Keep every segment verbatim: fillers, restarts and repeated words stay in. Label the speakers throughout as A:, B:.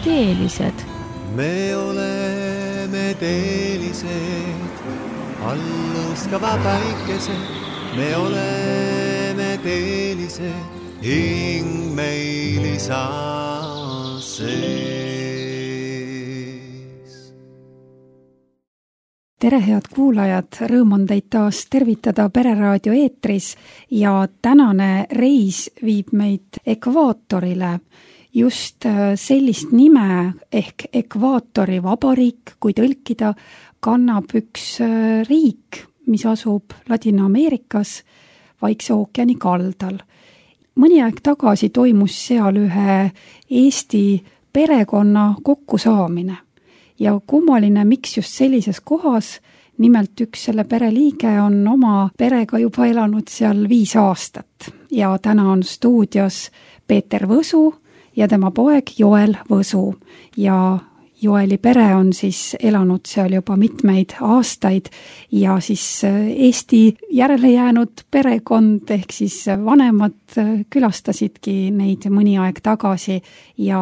A: teelised.
B: Me oleme teelised, allõskava päikesed. Me oleme teelised, hing meil isa sees.
A: Tere, head kuulajad, rõõm on teid taas tervitada Pereraadio eetris ja tänane reis viib meid ekvaatorile. Just sellist nime ehk Ekvaatori vabariik, kui tõlkida, kannab üks riik, mis asub Ladina-Ameerikas Vaikse ookeani kaldal. Mõni aeg tagasi toimus seal ühe Eesti perekonna kokkusaamine. Ja kummaline, miks just sellises kohas, nimelt üks selle pereliige on oma perega juba elanud seal viis aastat. Ja täna on stuudios Peeter Võsu ja tema poeg Joel Võsu. Ja Joeli pere on siis elanud seal juba mitmeid aastaid ja siis Eesti järele jäänud perekond ehk siis vanemad külastasidki neid mõni aeg tagasi ja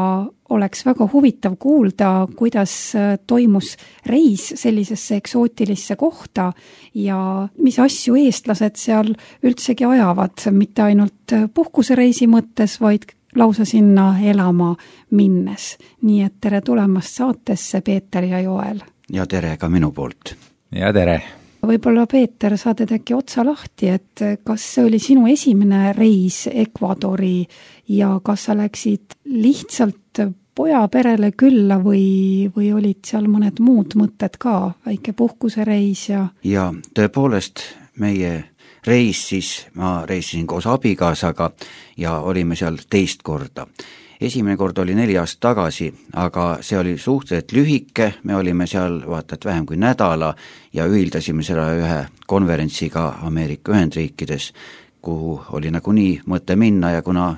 A: oleks väga huvitav kuulda, kuidas toimus reis sellisesse eksootilisse kohta ja mis asju eestlased seal üldsegi ajavad, mitte ainult puhkusereisi mõttes, vaid lausa sinna elama minnes. Nii et tere tulemast saatesse, Peeter ja Joel.
C: Ja tere ka minu poolt.
D: Ja tere.
A: Võib-olla, Peeter, saad äkki otsa lahti, et kas see oli sinu esimene reis Ekvadori ja kas sa läksid lihtsalt poja perele külla või, või olid seal mõned muud mõtted ka, väike puhkusereis ja...
C: Ja tõepoolest meie reis siis, ma reisisin koos abikaasaga ja olime seal teist korda. Esimene kord oli neli aastat tagasi, aga see oli suhteliselt lühike, me olime seal vaata, et vähem kui nädala ja ühildasime seda ühe konverentsiga Ameerika Ühendriikides, kuhu oli nagunii mõte minna ja kuna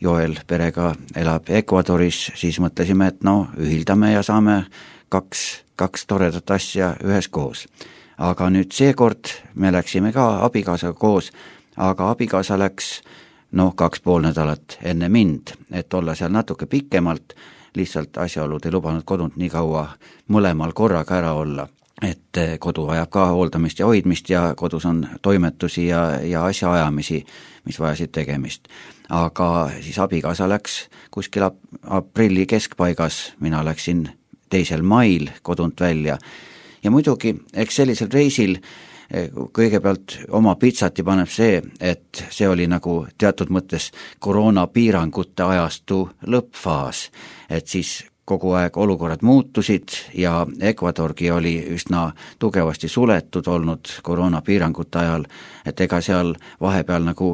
C: Joel perega elab Ekvadoris, siis mõtlesime, et no ühildame ja saame kaks, kaks toredat asja ühes koos. Aga nüüd seekord me läksime ka abikaasaga koos, aga abikaasa läks noh, kaks pool nädalat enne mind, et olla seal natuke pikemalt, lihtsalt asjaolud ei lubanud kodunt nii kaua mõlemal korraga ära olla, et kodu vajab ka hooldamist ja hoidmist ja kodus on toimetusi ja, ja asjaajamisi, mis vajasid tegemist. Aga siis abikaasa läks kuskil aprilli keskpaigas, mina läksin teisel mail kodunt välja. Ja muidugi, eks sellisel reisil kõigepealt oma pitsati paneb see, et see oli nagu teatud mõttes koroonapiirangute ajastu lõppfaas, et siis kogu aeg olukorrad muutusid ja Ekvadorgi oli üsna tugevasti suletud olnud koroonapiirangute ajal, et ega seal vahepeal nagu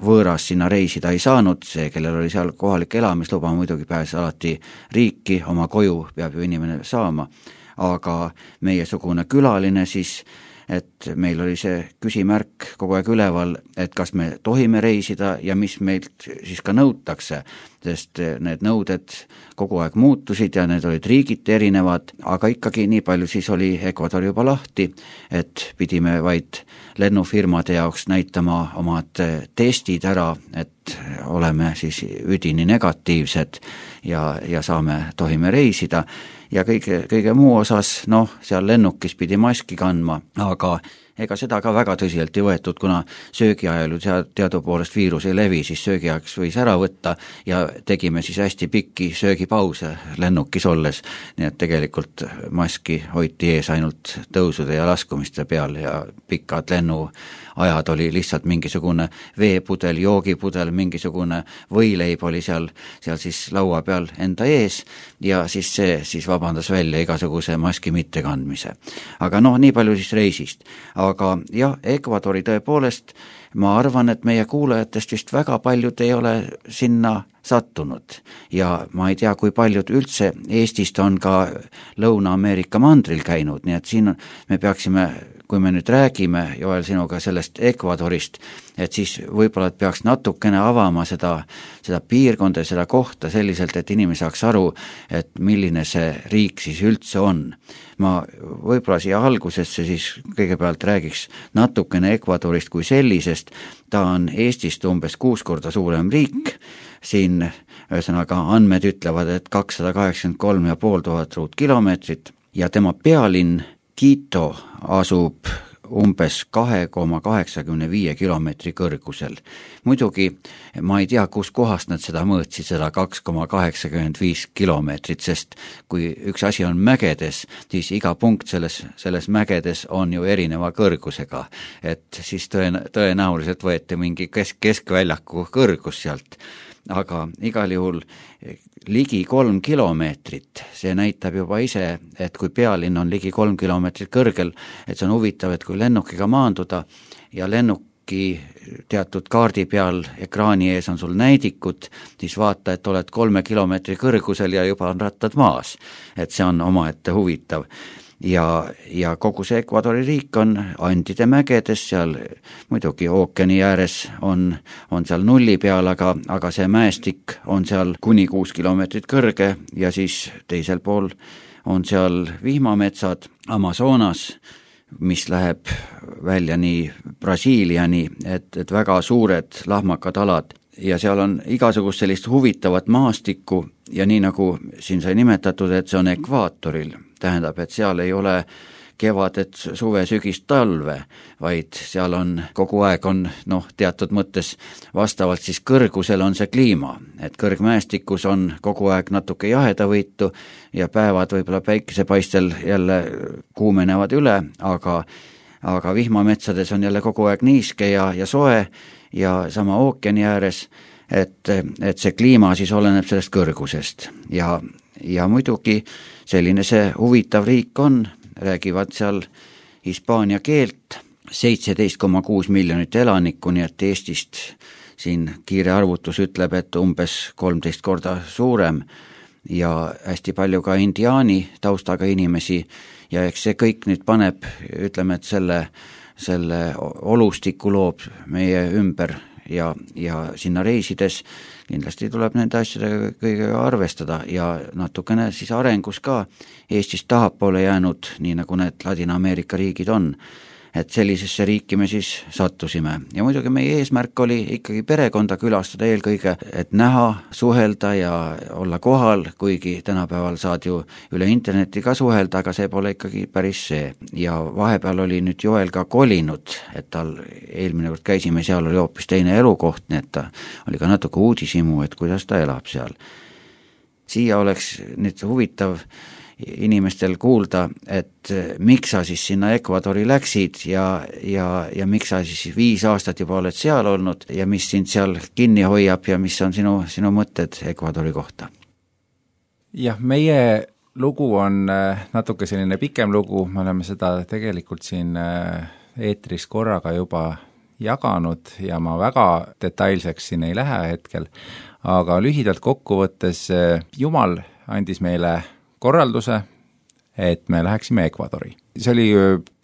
C: võõras sinna reisida ei saanud, see, kellel oli seal kohalik elamisluba, muidugi pääses alati riiki, oma koju peab ju inimene saama, aga meiesugune külaline siis, et meil oli see küsimärk kogu aeg üleval, et kas me tohime reisida ja mis meilt siis ka nõutakse, sest need nõuded kogu aeg muutusid ja need olid riigiti erinevad, aga ikkagi nii palju siis oli Ekvador juba lahti, et pidime vaid lennufirmade jaoks näitama omad testid ära, et oleme siis üdini negatiivsed ja, ja saame, tohime reisida. Ja kõige, kõige muu osas, noh, seal lennukis pidi maski kandma, aga ega seda ka väga tõsiselt ei võetud, kuna söögiajal ju teadupoolest viirus ei levi, siis söögiajaks võis ära võtta ja tegime siis hästi pikki söögipause lennukis olles, nii et tegelikult maski hoiti ees ainult tõusude ja laskumiste peal ja pikad lennuajad oli lihtsalt mingisugune veepudel, joogipudel, mingisugune võileib oli seal, seal siis laua peal enda ees ja siis see siis vabandas välja igasuguse maski mittekandmise. Aga noh, nii palju siis reisist. Aga jah, Ekvadori tõepoolest, ma arvan, et meie kuulajatest vist väga paljud ei ole sinna sattunud ja ma ei tea, kui paljud üldse Eestist on ka Lõuna-Ameerika mandril käinud, nii et siin me peaksime, kui me nüüd räägime, Joel, sinuga sellest Ekvadorist, et siis võib-olla et peaks natukene avama seda, seda piirkonda ja seda kohta selliselt, et inimene saaks aru, et milline see riik siis üldse on. Ma võib-olla siia algusesse siis kõigepealt räägiks natukene Ekvadorist kui sellisest, ta on Eestist umbes kuus korda suurem riik, siin ühesõnaga andmed ütlevad, et kakssada kaheksakümmend kolm ja pool tuhat ruutkilomeetrit ja tema pealinn Quito asub umbes kahe koma kaheksakümne viie kilomeetri kõrgusel. Muidugi ma ei tea, kus kohast nad seda mõõtsid, seda kaks koma kaheksakümmend viis kilomeetrit, sest kui üks asi on mägedes, siis iga punkt selles, selles mägedes on ju erineva kõrgusega, et siis tõen, tõenäoliselt võeti mingi kesk, keskväljaku kõrgus sealt, aga igal juhul ligi kolm kilomeetrit, see näitab juba ise, et kui pealinn on ligi kolm kilomeetrit kõrgel, et see on huvitav, et kui lennukiga maanduda ja lennuki teatud kaardi peal ekraani ees on sul näidikud, siis vaata, et oled kolme kilomeetri kõrgusel ja juba on rattad maas. Et see on omaette huvitav. Ja, ja kogu see Ecuadori riik on Andide mägedes, seal muidugi ookeani ääres on, on seal nulli peal, aga, aga see mäestik on seal kuni kuus kilomeetrit kõrge ja siis teisel pool on seal vihmametsad Amazonas, mis läheb välja nii Brasiiliani, et, et väga suured lahmakad alad ja seal on igasugust sellist huvitavat maastikku ja nii nagu siin sai nimetatud, et see on ekvaatoril, tähendab, et seal ei ole kevadet, suve, sügist, talve, vaid seal on kogu aeg on noh, teatud mõttes vastavalt siis kõrgusel on see kliima, et kõrgmäestikus on kogu aeg natuke jahedavõitu ja päevad võib-olla päikesepaistel jälle kuumenevad üle, aga, aga vihmametsades on jälle kogu aeg niiske ja, ja soe ja sama ookeani ääres, et, et see kliima siis oleneb sellest kõrgusest ja, ja muidugi selline see huvitav riik on, räägivad seal hispaania keelt, seitseteist koma kuus miljonit elanikku, nii et Eestist siin kiire arvutus ütleb, et umbes kolmteist korda suurem ja hästi palju ka indiaani taustaga inimesi ja eks see kõik nüüd paneb, ütleme, et selle, selle olustiku loob meie ümber ja, ja sinna reisides kindlasti tuleb nende asjadega kõigega arvestada ja natukene siis arengus ka Eestist tahapoole jäänud, nii nagu need Ladina-Ameerika riigid on, et sellisesse riiki me siis sattusime. Ja muidugi meie eesmärk oli ikkagi perekonda külastada eelkõige, et näha, suhelda ja olla kohal, kuigi tänapäeval saad ju üle interneti ka suhelda, aga see pole ikkagi päris see. Ja vahepeal oli nüüd Joel ka kolinud, et tal eelmine kord käisime, seal oli hoopis teine elukoht, nii et ta oli ka natuke uudisimu, et kuidas ta elab seal. Siia oleks nüüd huvitav inimestel kuulda, et miks sa siis sinna Ecuadori läksid ja, ja, ja miks sa siis viis aastat juba oled seal olnud ja mis sind seal kinni hoiab ja mis on sinu, sinu mõtted Ecuadori kohta?
D: Jah, meie lugu on natuke selline pikem lugu, me oleme seda tegelikult siin eetris korraga juba jaganud ja ma väga detailseks siin ei lähe hetkel, aga lühidalt kokkuvõttes Jumal andis meile korralduse, et me läheksime Ecuadori. See oli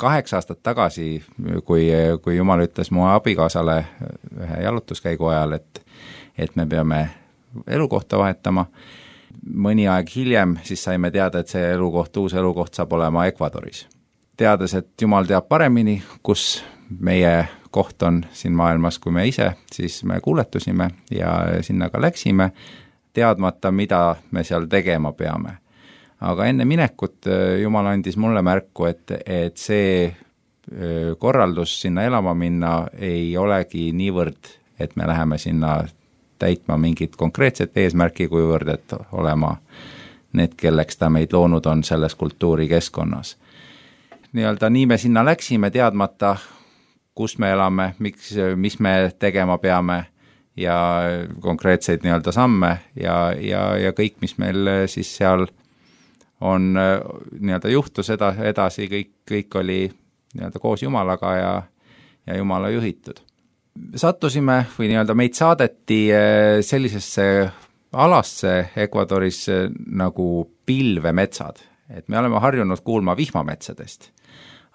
D: kaheksa aastat tagasi, kui, kui Jumal ütles mu abikaasale ühe jalutuskäigu ajal, et, et me peame elukohta vahetama. Mõni aeg hiljem siis saime teada, et see elukoht, uus elukoht saab olema Ecuadoris. Teades, et Jumal teab paremini, kus meie koht on siin maailmas kui me ise, siis me kuuletusime ja sinna ka läksime, teadmata, mida me seal tegema peame. Aga enne minekut Jumal andis mulle märku, et, et see korraldus sinna elama minna ei olegi niivõrd, et me läheme sinna täitma mingit konkreetset eesmärki, kuivõrd, et olema need, kelleks ta meid loonud on selles kultuurikeskkonnas. Nii-öelda nii me sinna läksime teadmata, kus me elame, miks, mis me tegema peame ja konkreetseid nii-öelda samme ja, ja, ja kõik, mis meil siis seal on nii-öelda juhtus eda, edasi, kõik, kõik oli nii-öelda koos Jumalaga ja, ja Jumala juhitud. Sattusime või nii-öelda meid saadeti sellisesse alasse Ecuadoris nagu pilvemetsad, et me oleme harjunud kuulma vihmametsadest,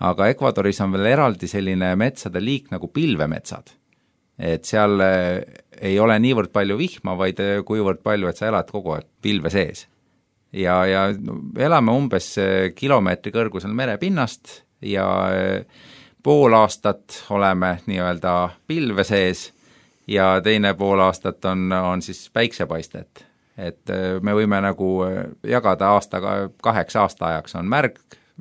D: aga Ecuadoris on veel eraldi selline metsade liik nagu pilvemetsad, et seal ei ole niivõrd palju vihma, vaid kuivõrd palju, et sa elad kogu aeg pilve sees. Ja, ja elame umbes kilomeetri kõrgusel merepinnast ja pool aastat oleme nii-öelda pilve sees ja teine pool aastat on, on siis päiksepaistet. et me võime nagu jagada aastaga kaheks aastaajaks on märg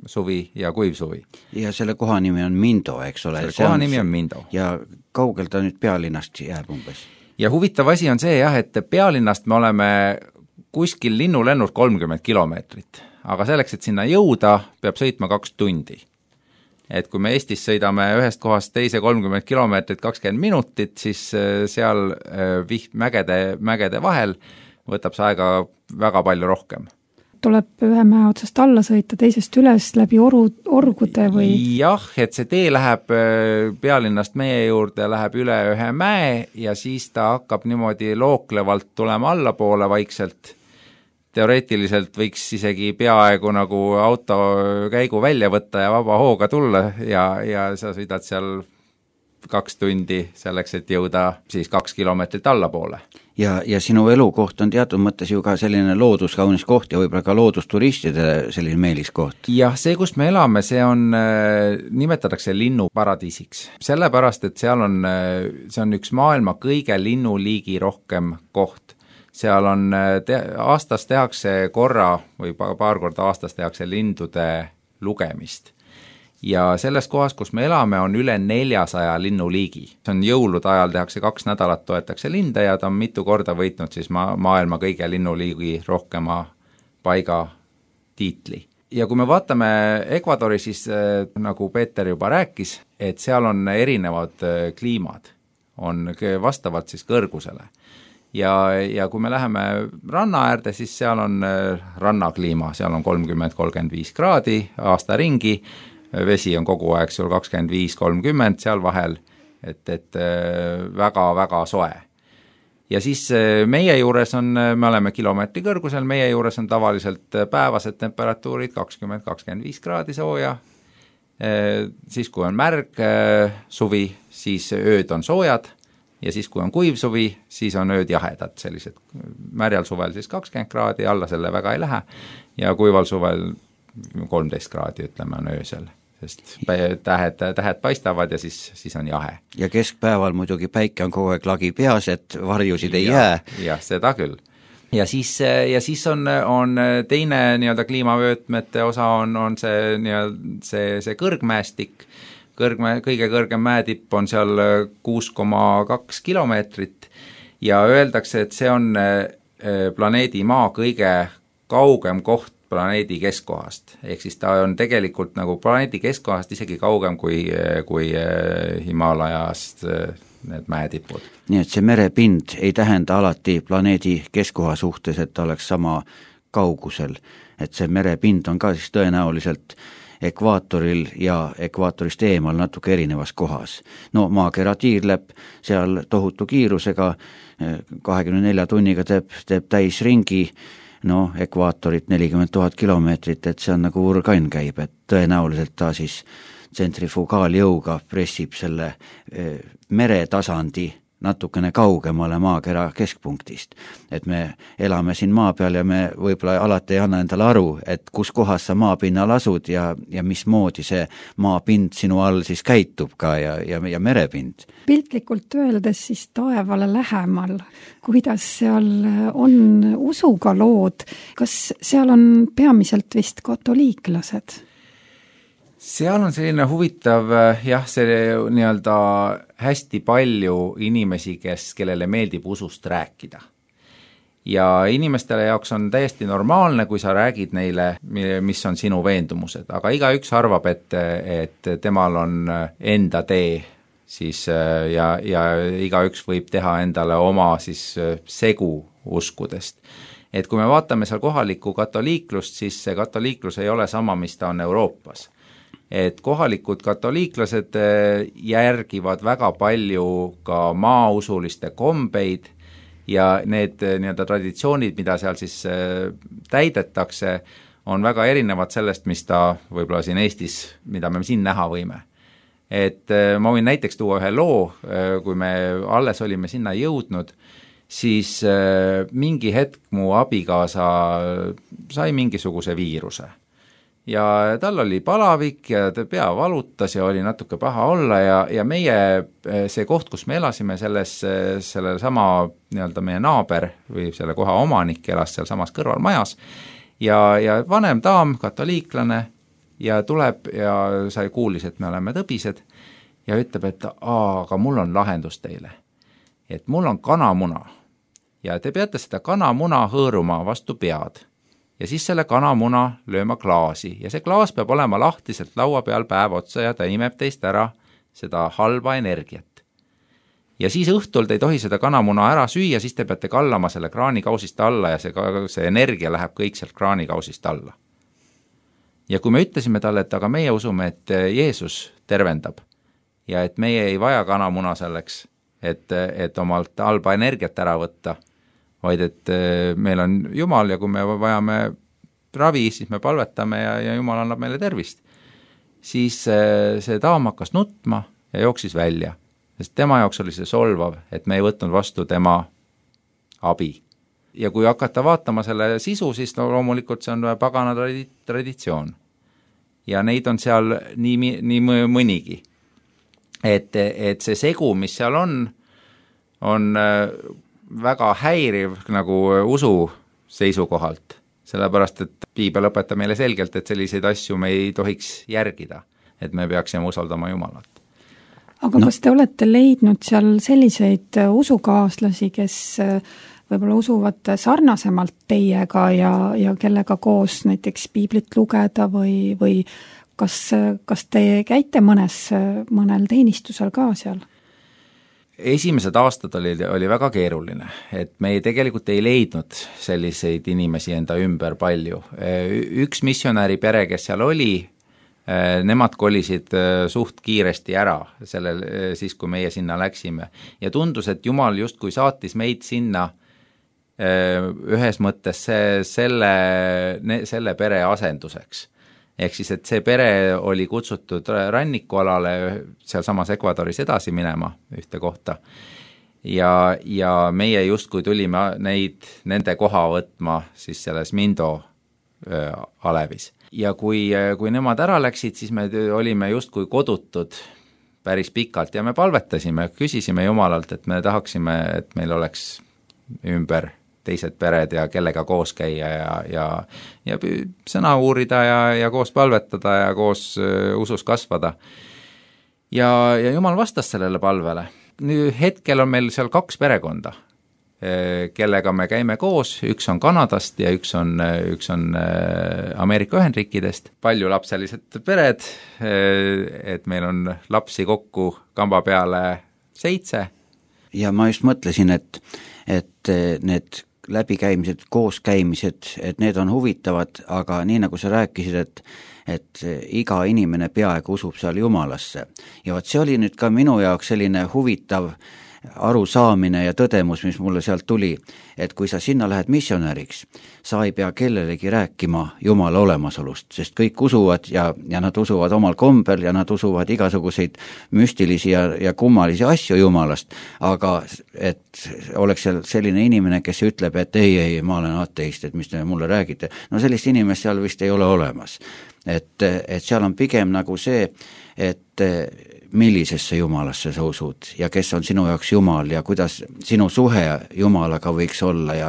D: suvi ja kuiv suvi.
C: Ja selle koha nimi on Mindo, eks ole?
D: Selle koha nimi on Mindo.
C: Ja kaugel ta nüüd pealinnast jääb umbes?
D: Ja huvitav asi on see jah, et pealinnast me oleme kuskil linnulennult kolmkümmend kilomeetrit, aga selleks, et sinna jõuda, peab sõitma kaks tundi. Et kui me Eestis sõidame ühest kohast teise kolmkümmend kilomeetrit kakskümmend minutit, siis seal viht mägede, mägede vahel võtab see aega väga palju rohkem.
A: Tuleb ühe mäe otsast alla sõita, teisest üles läbi oru, orgude või?
D: Jah, et see tee läheb pealinnast meie juurde, läheb üle ühe mäe ja siis ta hakkab niimoodi looklevalt tulema allapoole vaikselt. Teoreetiliselt võiks isegi peaaegu nagu auto käigu välja võtta ja vaba hooga tulla ja, ja sa sõidad seal kaks tundi selleks, et jõuda siis kaks kilomeetrit allapoole.
C: Ja, ja sinu elukoht on teatud mõttes ju ka selline looduskaunis koht ja võib-olla ka loodusturistide selline meeliskoht.
D: Jah, see, kus me elame, see on, nimetatakse linnuparadiisiks. Sellepärast, et seal on, see on üks maailma kõige linnuliigi rohkem koht. Seal on, te, aastas tehakse korra või paar korda aastas tehakse lindude lugemist. Ja selles kohas, kus me elame, on üle neljasaja linnuliigi. See on jõulude ajal tehakse kaks nädalat, toetakse linde ja ta on mitu korda võitnud siis ma, maailma kõige linnuliigi rohkema paiga tiitli. Ja kui me vaatame Ecuadori, siis nagu Peeter juba rääkis, et seal on erinevad kliimad, on vastavalt siis kõrgusele. Ja, ja kui me läheme ranna äärde, siis seal on rannakliima, seal on kolmkümmend kolmkümmend viis kraadi aasta ringi, vesi on kogu aeg sul kakskümmend viis kolmkümmend seal vahel, et, et väga-väga soe. Ja siis meie juures on, me oleme kilomeetri kõrgusel, meie juures on tavaliselt päevased temperatuurid kakskümmend kakskümmend viis kraadi sooja, siis kui on märg suvi, siis ööd on soojad, ja siis kui on kuiv suvi, siis on ööd jahedad, sellised märjal suvel siis kakskümmend kraadi, alla selle väga ei lähe, ja kuival suvel kolmteist kraadi, ütleme, on öösel, sest tähed, tähed paistavad ja siis, siis on jahe.
C: Ja keskpäeval muidugi päike on kogu aeg lagi peas, et varjusid ei ja, jää.
D: Jah, seda küll. Ja siis, ja siis on, on teine nii-öelda kliimavöötmete osa on, on see, nii-öelda, see, see kõrgmäestik, Kõrgme, kõige kõrgem mäetipp on seal kuus koma kaks kilomeetrit ja öeldakse, et see on planeedi Maa kõige kaugem koht planeedi keskkohast. Ehk siis ta on tegelikult nagu planeedi keskkohast isegi kaugem kui, kui Himalajast need mäetipud.
C: Nii et see merepind ei tähenda alati planeedi keskkoha suhtes, et ta oleks sama kaugusel. Et see merepind on ka siis tõenäoliselt ekvaatoril ja ekvaatorist eemal natuke erinevas kohas. No maakera tiirleb seal tohutu kiirusega, kahekümne nelja tunniga teeb, teeb täis ringi, no ekvaatorit nelikümmend tuhat kilomeetrit, et see on nagu urgain käib, et tõenäoliselt ta siis tsentrifugaaljõuga pressib selle meretasandi natukene kaugemale maakera keskpunktist. Et me elame siin maa peal ja me võib-olla alati ei anna endale aru, et kus kohas sa maapinnal asud ja, ja mismoodi see maapind sinu all siis käitub ka ja, ja, ja merepind.
A: Piltlikult öeldes siis taevale lähemal, kuidas seal on usuga lood, kas seal on peamiselt vist katoliiklased?
D: Seal on selline huvitav, jah, see nii-öelda hästi palju inimesi, kes, kellele meeldib usust rääkida. Ja inimestele jaoks on täiesti normaalne, kui sa räägid neile, mis on sinu veendumused, aga igaüks arvab, et, et temal on enda tee siis, ja, ja igaüks võib teha endale oma siis segu uskudest. Et kui me vaatame seal kohalikku katoliiklust, siis see katoliiklus ei ole sama, mis ta on Euroopas. Et kohalikud katoliiklased järgivad väga palju ka maausuliste kombeid ja need nii-öelda traditsioonid, mida seal siis täidetakse, on väga erinevad sellest, mis ta võib-olla siin Eestis, mida me siin näha võime. Et ma võin näiteks tuua ühe loo, kui me alles olime sinna jõudnud, siis mingi hetk mu abikaasa sai mingisuguse viiruse. ja tal oli palavik ja ta pea valutas ja oli natuke paha olla ja, ja meie, see koht, kus me elasime, selles, selle sama nii-öelda meie naaber või selle koha omanik elas seal samas kõrval majas ja, ja vanem daam, katoliiklane ja tuleb ja sai kuulis, et me oleme tõbised ja ütleb, et aa, aga mul on lahendus teile. Et mul on kanamuna ja te peate seda kanamuna hõõruma vastu pead. Ja siis selle kanamuna lööma klaasi ja see klaas peab olema lahtiselt laua peal päev otsa ja ta imeb teist ära seda halba energiat. Ja siis õhtul te ei tohi seda kanamuna ära süüa, siis te peate kallama selle kraanikausist alla ja see, see energia läheb kõik sealt kraanikausist alla. Ja kui me ütlesime talle, et aga meie usume, et Jeesus tervendab ja et meie ei vaja kanamuna selleks, et, et omalt halba energiat ära võtta, vaid et meil on Jumal ja kui me vajame ravi, siis me palvetame ja, ja Jumal annab meile tervist. Siis see daam hakkas nutma ja jooksis välja, sest tema jaoks oli see solvav, et me ei võtnud vastu tema abi. Ja kui hakata vaatama selle sisu, siis no, loomulikult see on pagana traditsioon. Ja neid on seal nii, nii mõnigi. Et, et see segu, mis seal on, on väga häiriv nagu usu seisukohalt, sellepärast, et piibel õpetab meile selgelt, et selliseid asju me ei tohiks järgida, et me peaksime usaldama Jumalat.
A: Aga no. Kas te olete leidnud seal selliseid usukaaslasi, kes võib-olla usuvad sarnasemalt teiega ja, ja kellega koos näiteks piiblit lugeda või, või kas, kas te käite mõnes, mõnel teenistusel ka seal?
D: Esimesed aastad oli, oli väga keeruline, et me ei, tegelikult ei leidnud selliseid inimesi enda ümber palju. Üks missionäri pere, kes seal oli, nemad kolisid suht kiiresti ära sellel, siis, kui meie sinna läksime. Ja tundus, et Jumal justkui saatis meid sinna ühes mõttes see, selle, selle pere asenduseks. Ehk siis, et see pere oli kutsutud rannikualale seal samas Ecuadoris edasi minema ühte kohta ja, ja meie justkui tulime neid, nende koha võtma siis selles Mindo äh, alevis. Ja kui, kui nemad ära läksid, siis me olime justkui kodutud päris pikalt ja me palvetasime, küsisime Jumalalt, et me tahaksime, et meil oleks ümber teised pered ja kellega koos käia ja, ja, ja sõna uurida ja, ja koos palvetada ja koos uh, usus kasvada. Ja, ja Jumal vastas sellele palvele. Nüüd hetkel on meil seal kaks perekonda, kellega me käime koos, üks on Kanadast ja üks on, üks on Ameerika Ühendriikidest. Palju lapselised pered, et meil on lapsi kokku kamba peale seitse.
C: Ja ma just mõtlesin, et, et need läbikäimised, kooskäimised, et need on huvitavad, aga nii nagu sa rääkisid, et, et iga inimene peaaegu usub seal Jumalasse. Ja vaat see oli nüüd ka minu jaoks selline huvitav arusaamine ja tõdemus, mis mulle sealt tuli, et kui sa sinna lähed missionäriks, sa ei pea kellelegi rääkima Jumala olemasolust, sest kõik usuvad ja, ja nad usuvad omal kombel ja nad usuvad igasuguseid müstilisi ja, ja kummalisi asju Jumalast, aga et oleks seal selline inimene, kes ütleb, et ei, ei, ma olen ateist, et mis te mulle räägite, no sellist inimest seal vist ei ole olemas. Et, et seal on pigem nagu see, et millisesse Jumalasse sa usud ja kes on sinu jaoks Jumal ja kuidas sinu suhe Jumalaga võiks olla ja,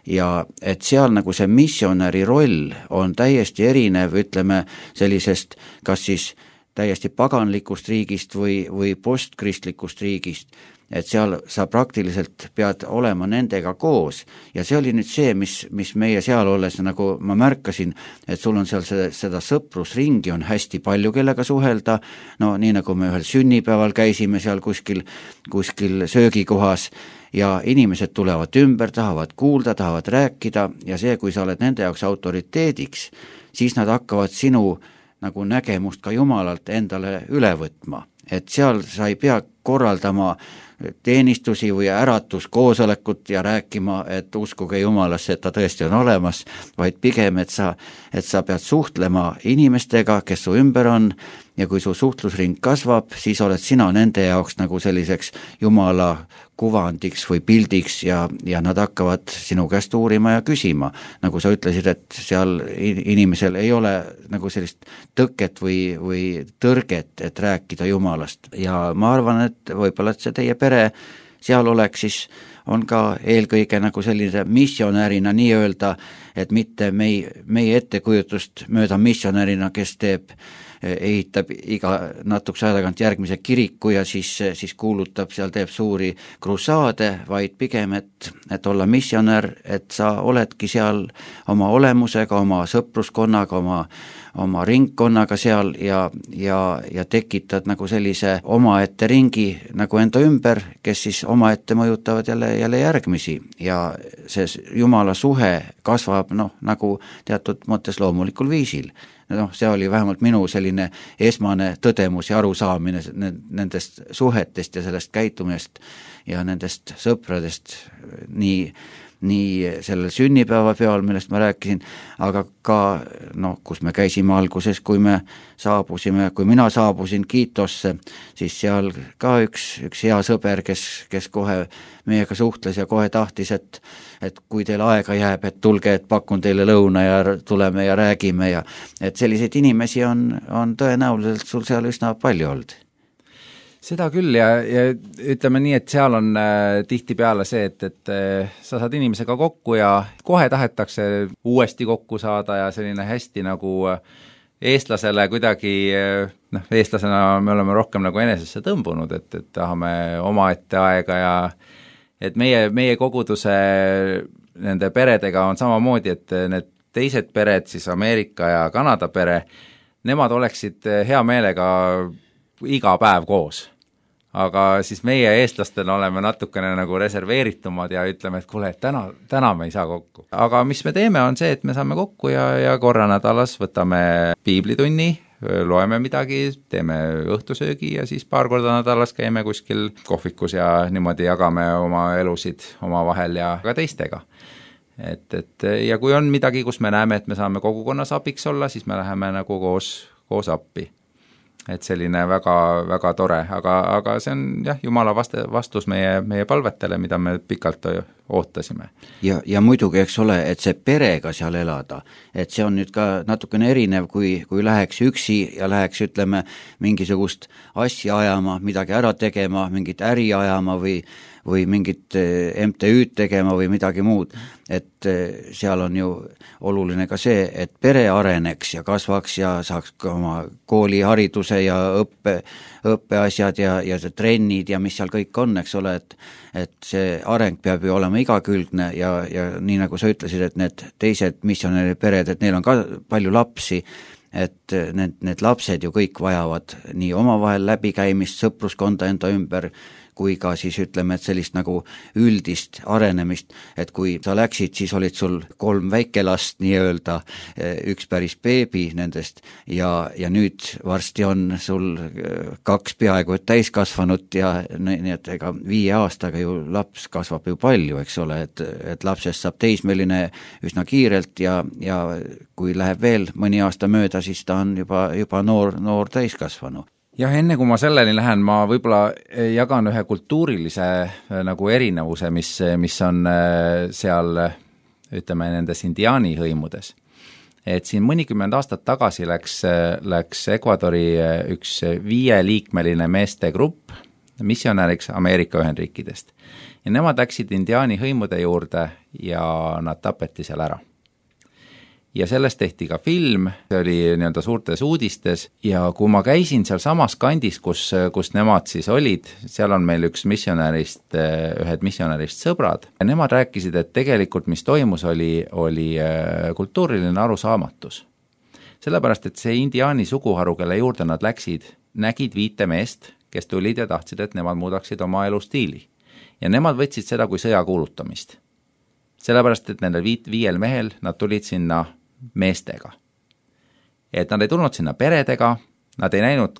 C: ja et seal nagu see missionäri roll on täiesti erinev, ütleme sellisest, kas siis täiesti paganlikust riigist või, või postkristlikust riigist, et seal sa praktiliselt pead olema nendega koos ja see oli nüüd see, mis, mis meie seal olles, nagu ma märkasin, et sul on seal see, seda sõprusringi on hästi palju, kellega suhelda, no nii nagu me ühel sünnipäeval käisime seal kuskil, kuskil söögikohas ja inimesed tulevad ümber, tahavad kuulda, tahavad rääkida ja see, kui sa oled nende jaoks autoriteediks, siis nad hakkavad sinu nagu nägemust ka Jumalalt endale üle võtma, et seal sa ei pea korraldama teenistusi või äratuskoosolekut ja rääkima, et uskuge Jumalasse, et ta tõesti on olemas, vaid pigem, et sa, et sa pead suhtlema inimestega, kes su ümber on ja kui su suhtlusring kasvab, siis oled sina nende jaoks nagu selliseks Jumala kuvandiks või pildiks ja, ja nad hakkavad sinu käest uurima ja küsima. Nagu sa ütlesid, et seal inimesel ei ole nagu sellist tõket või, või tõrget, et rääkida Jumalast. Ja ma arvan, et võib-olla, et see teie pere seal oleks, siis on ka eelkõige nagu sellise missionärina nii öelda, et mitte meie, meie ettekujutust mööda missionärina, kes teeb ehitab iga natukese aja tagant järgmise kiriku ja siis, siis kuulutab, seal teeb suuri krusaade, vaid pigem, et, et olla missionär, et sa oledki seal oma olemusega, oma sõpruskonnaga, oma, oma ringkonnaga seal ja, ja, ja tekitad nagu sellise omaette ringi nagu enda ümber, kes siis omaette mõjutavad jälle, jälle järgmisi ja see Jumala suhe kasvab noh, nagu teatud mõttes loomulikul viisil. Noh, see oli vähemalt minu selline esmane tõdemus ja arusaamine nendest suhetest ja sellest käitumist ja nendest sõpradest nii, nii sellel sünnipäevapeol, millest ma rääkisin, aga ka, noh, kus me käisime alguses, kui me saabusime, kui mina saabusin Kiitosse, siis seal ka üks, üks hea sõber, kes, kes kohe meiega suhtles ja kohe tahtis, et, et kui teil aega jääb, et tulge, et pakun teile lõuna ja tuleme ja räägime ja et selliseid inimesi on, on tõenäoliselt sul seal üsna palju olnud.
D: Seda küll ja, ja ütleme nii, et seal on äh, tihtipeale see, et, et äh, sa saad inimesega kokku ja kohe tahetakse uuesti kokku saada ja selline hästi nagu äh, eestlasele kuidagi, äh, noh, eestlasena me oleme rohkem nagu enesesse tõmbunud, et, et tahame omaette aega ja et meie, meie koguduse nende peredega on samamoodi, et need teised pered, siis Ameerika ja Kanada pere, nemad oleksid hea meelega iga päev koos. Aga siis meie eestlastena oleme natukene nagu reserveeritumad ja ütleme, et kuule, et täna, täna me ei saa kokku. Aga mis me teeme, on see, et me saame kokku ja, ja korra nädalas võtame piiblitunni, loeme midagi, teeme õhtusöögi ja siis paar korda nädalas käime kuskil kohvikus ja niimoodi jagame oma elusid oma vahel ja ka teistega. Et, et, ja kui on midagi, kus me näeme, et me saame kogukonnas abiks olla, siis me läheme nagu koos, koos appi. Et selline väga, väga tore, aga, aga see on jah, Jumala vaste, vastus meie, meie palvetele, mida me pikalt ootasime.
C: Ja, ja muidugi, eks ole, et see perega seal elada, et see on nüüd ka natukene erinev, kui, kui läheks üksi ja läheks, ütleme, mingisugust asja ajama, midagi ära tegema, mingit äri ajama või või mingit M T Ü'd tegema või midagi muud, et seal on ju oluline ka see, et pere areneks ja kasvaks ja saaks ka oma koolihariduse ja õppe, õppeasjad ja, ja trennid ja mis seal kõik on, eks ole, et, et see areng peab ju olema igakülgne ja, ja nii nagu sa ütlesid, et need teised missionäri pered, et neil on ka palju lapsi, et need, need lapsed ju kõik vajavad nii omavahel läbikäimist, sõpruskonda enda ümber, kui ka siis ütleme, et sellist nagu üldist arenemist, et kui sa läksid, siis olid sul kolm väikelast nii-öelda, üks päris beebi nendest ja, ja nüüd varsti on sul kaks peaaegu et täiskasvanut ja nii et ega viie aastaga ju laps kasvab ju palju, eks ole, et, et lapsest saab teismeline üsna kiirelt ja, ja kui läheb veel mõni aasta mööda, siis ta on juba, juba noor, noor täiskasvanu.
D: Jah, enne kui ma selleni lähen, ma võib-olla jagan ühe kultuurilise nagu erinevuse, mis, mis on seal, ütleme, nendes indiaani hõimudes. Et siin mõnikümmend aastat tagasi läks, läks Ecuadori üks viieliikmeline meeste grupp missionäriks Ameerika Ühendriikidest. Ja nemad läksid indiaani hõimude juurde ja nad tapeti seal ära. Ja sellest tehti ka film, see oli nii-öelda suurtes uudistes ja kui ma käisin seal samas kandis, kus, kus nemad siis olid, seal on meil üks missionärist, ühed missionärist sõbrad ja nemad rääkisid, et tegelikult mis toimus, oli, oli kultuuriline arusaamatus. Sellepärast, et see indiaani suguharu, kelle juurde nad läksid, nägid viite meest, kes tulid ja tahtsid, et nemad muudaksid oma elustiili. Ja nemad võtsid seda kui sõja kuulutamist. Sellepärast, et nendel viit, viiel mehel nad tulid sinna meestega. Et nad ei tulnud sinna peredega, nad ei näinud,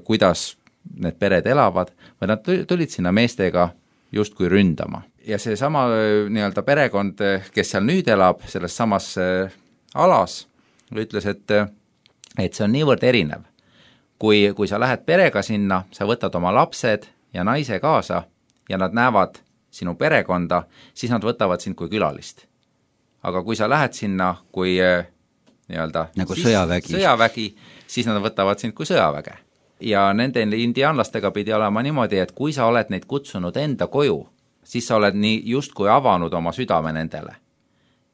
D: kuidas need pered elavad, vaid nad tulid sinna meestega justkui ründama. Ja see sama nii-öelda perekond, kes seal nüüd elab, selles samas alas, ütles, et, et see on niivõrd erinev. Kui, kui sa lähed perega sinna, sa võtad oma lapsed ja naise kaasa ja nad näevad sinu perekonda, siis nad võtavad sind kui külalist. Aga kui sa lähed sinna kui nii-öelda
C: nagu siis, sõjavägi.
D: sõjavägi, siis nad võtavad sind kui sõjaväge. Ja nende indiaanlastega pidi olema niimoodi, et kui sa oled neid kutsunud enda koju, siis sa oled nii justkui avanud oma südame nendele.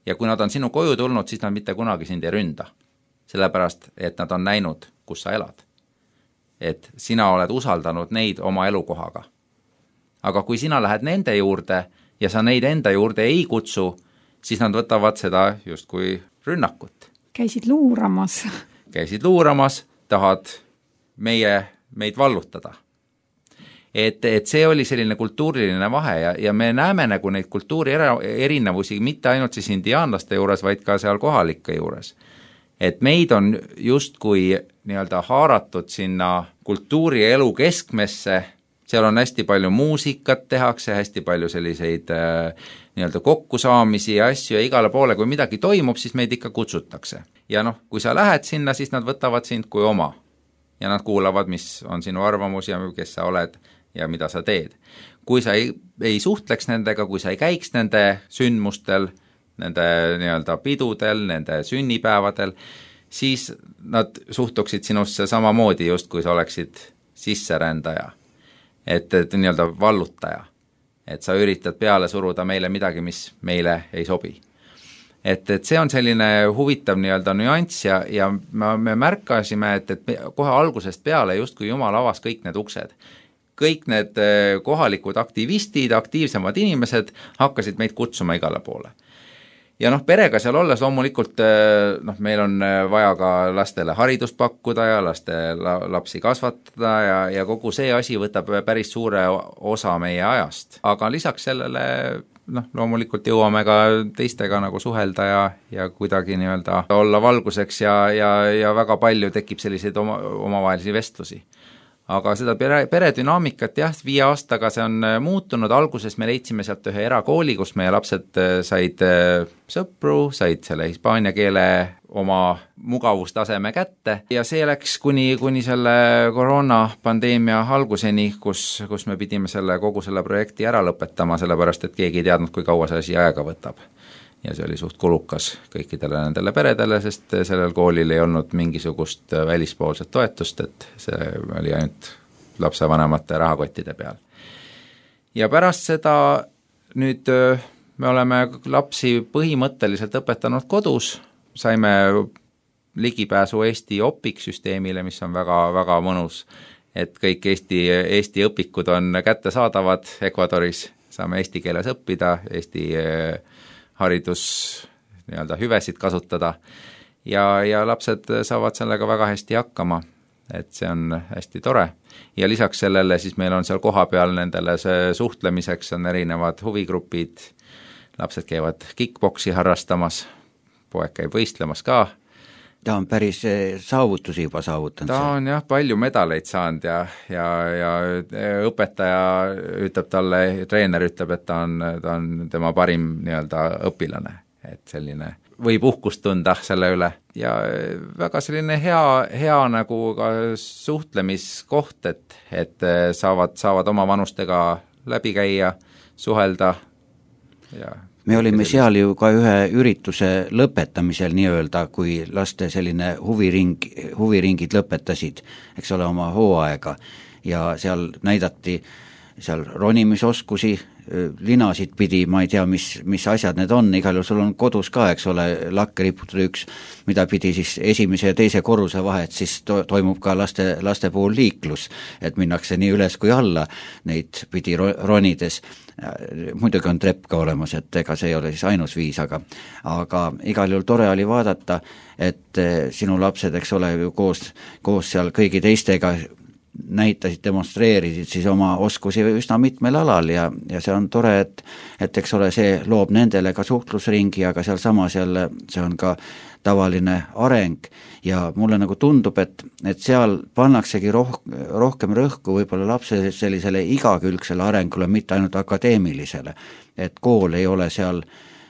D: Ja kui nad on sinu koju tulnud, siis nad mitte kunagi sind ei ründa. Sellepärast, et nad on näinud, kus sa elad. Et sina oled usaldanud neid oma elukohaga. Aga kui sina lähed nende juurde ja sa neid enda juurde ei kutsu, siis nad võtavad seda justkui rünnakut.
A: Käisid luuramas.
D: Käisid luuramas, tahad meie, meid vallutada. Et, et see oli selline kultuuriline vahe ja, ja me näeme nagu neid kultuuri erinevusi mitte ainult siis indiaanlaste juures, vaid ka seal kohalike juures. Et meid on justkui nii-öelda haaratud sinna kultuurielu keskmesse, seal on hästi palju muusikat tehakse, hästi palju selliseid äh, nii-öelda kokkusaamisi ja asju ja igale poole, kui midagi toimub, siis meid ikka kutsutakse. Ja noh, kui sa lähed sinna, siis nad võtavad sind kui oma ja nad kuulavad, mis on sinu arvamus ja kes sa oled ja mida sa teed. Kui sa ei, ei suhtleks nendega, kui sa ei käiks nende sündmustel, nende nii-öelda pidudel, nende sünnipäevadel, siis nad suhtuksid sinusse samamoodi just, kui sa oleksid sisserändaja. Et, et nii-öelda vallutaja, et sa üritad peale suruda meile midagi, mis meile ei sobi. Et, et see on selline huvitav nii-öelda nüanss ja, ja me märkasime, et, et kohe algusest peale justkui Jumal avas kõik need uksed. Kõik need kohalikud aktivistid, aktiivsemad inimesed hakkasid meid kutsuma igale poole. Ja noh, perega seal olles loomulikult noh, meil on vaja ka lastele haridust pakkuda ja laste lapsi kasvatada ja, ja kogu see asi võtab päris suure osa meie ajast. Aga lisaks sellele noh, loomulikult jõuame ka teistega nagu suhelda ja, ja kuidagi nii-öelda olla valguseks ja, ja, ja väga palju tekib selliseid oma, omavahelisi vestlusi. Aga seda pere, peredünaamikat jah, viie aastaga see on muutunud, alguses me leidsime sealt ühe erakooli, kus meie lapsed said sõpru, said selle hispaania keele oma mugavustaseme kätte ja see läks kuni, kuni selle koroonapandeemia alguseni, kus, kus me pidime selle, kogu selle projekti ära lõpetama, sellepärast et keegi ei teadnud, kui kaua see asi aega võtab. Ja see oli suht kulukas kõikidele nendele peredele, sest sellel koolil ei olnud mingisugust välispoolset toetust, et see oli ainult lapsevanemate rahakottide peal. Ja pärast seda nüüd me oleme lapsi põhimõtteliselt õpetanud kodus, saime ligipääsu Eesti Opik-süsteemile, mis on väga, väga mõnus, et kõik Eesti, Eesti õpikud on kättesaadavad Ecuadoris, saame eesti keeles õppida, Eesti haridus nii-öelda hüvesid kasutada ja, ja lapsed saavad sellega väga hästi hakkama, et see on hästi tore. Ja lisaks sellele siis meil on seal kohapeal nendele see suhtlemiseks on erinevad huvigrupid, lapsed käivad kickboksi harrastamas, poeg käib võistlemas ka.
C: Ta on päris saavutusi juba saavutanud.
D: Ta on jah, palju medaleid saanud ja, ja, ja õpetaja ütleb talle, treener ütleb, et ta on, ta on tema parim nii-öelda õpilane, et selline võib uhkust tunda selle üle. Ja väga selline hea, hea nagu ka suhtlemiskoht, et, et saavad, saavad oma vanustega läbi käia, suhelda ja
C: me olime seal ju ka ühe ürituse lõpetamisel nii-öelda, kui laste selline huviring, huviringid lõpetasid, eks ole, oma hooaega ja seal näidati seal ronimisoskusi, linasid pidi, ma ei tea, mis, mis asjad need on, igal juhul sul on kodus ka, eks ole, lakke riputada üks, mida pidi siis esimese ja teise korruse vahet, siis to, toimub ka laste, laste puhul liiklus, et minnakse nii üles kui alla neid pidi ronides. Muidugi on trepp ka olemas, et ega see ei ole siis ainus viis, aga, aga igal juhul tore oli vaadata, et sinu lapsed, eks ole, koos, koos seal kõigi teistega näitasid, demonstreerisid siis oma oskusi üsna mitmel alal ja, ja see on tore, et, et eks ole, see loob nendele ka suhtlusringi, aga seal samas jälle see on ka tavaline areng ja mulle nagu tundub, et, et seal pannaksegi roh, rohkem rõhku võib-olla lapse sellisele igakülgsele arengule, mitte ainult akadeemilisele, et kool ei ole seal,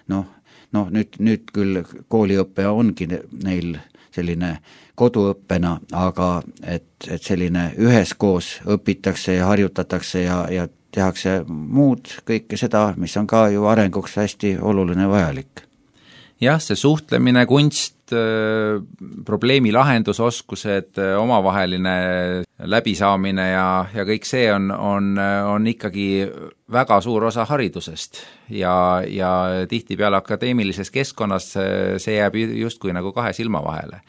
C: noh, noh nüüd, nüüd küll kooliõpe ongi neil selline koduõppena, aga et, et selline üheskoos õpitakse ja harjutatakse ja, ja tehakse muud kõike seda, mis on ka ju arenguks hästi oluline vajalik.
D: Jah, see suhtlemine, kunst, probleemi lahendusoskused, omavaheline läbisaamine ja, ja kõik see on, on, on ikkagi väga suur osa haridusest ja, ja tihtipeale akadeemilises keskkonnas see jääb justkui nagu kahe silma vahele.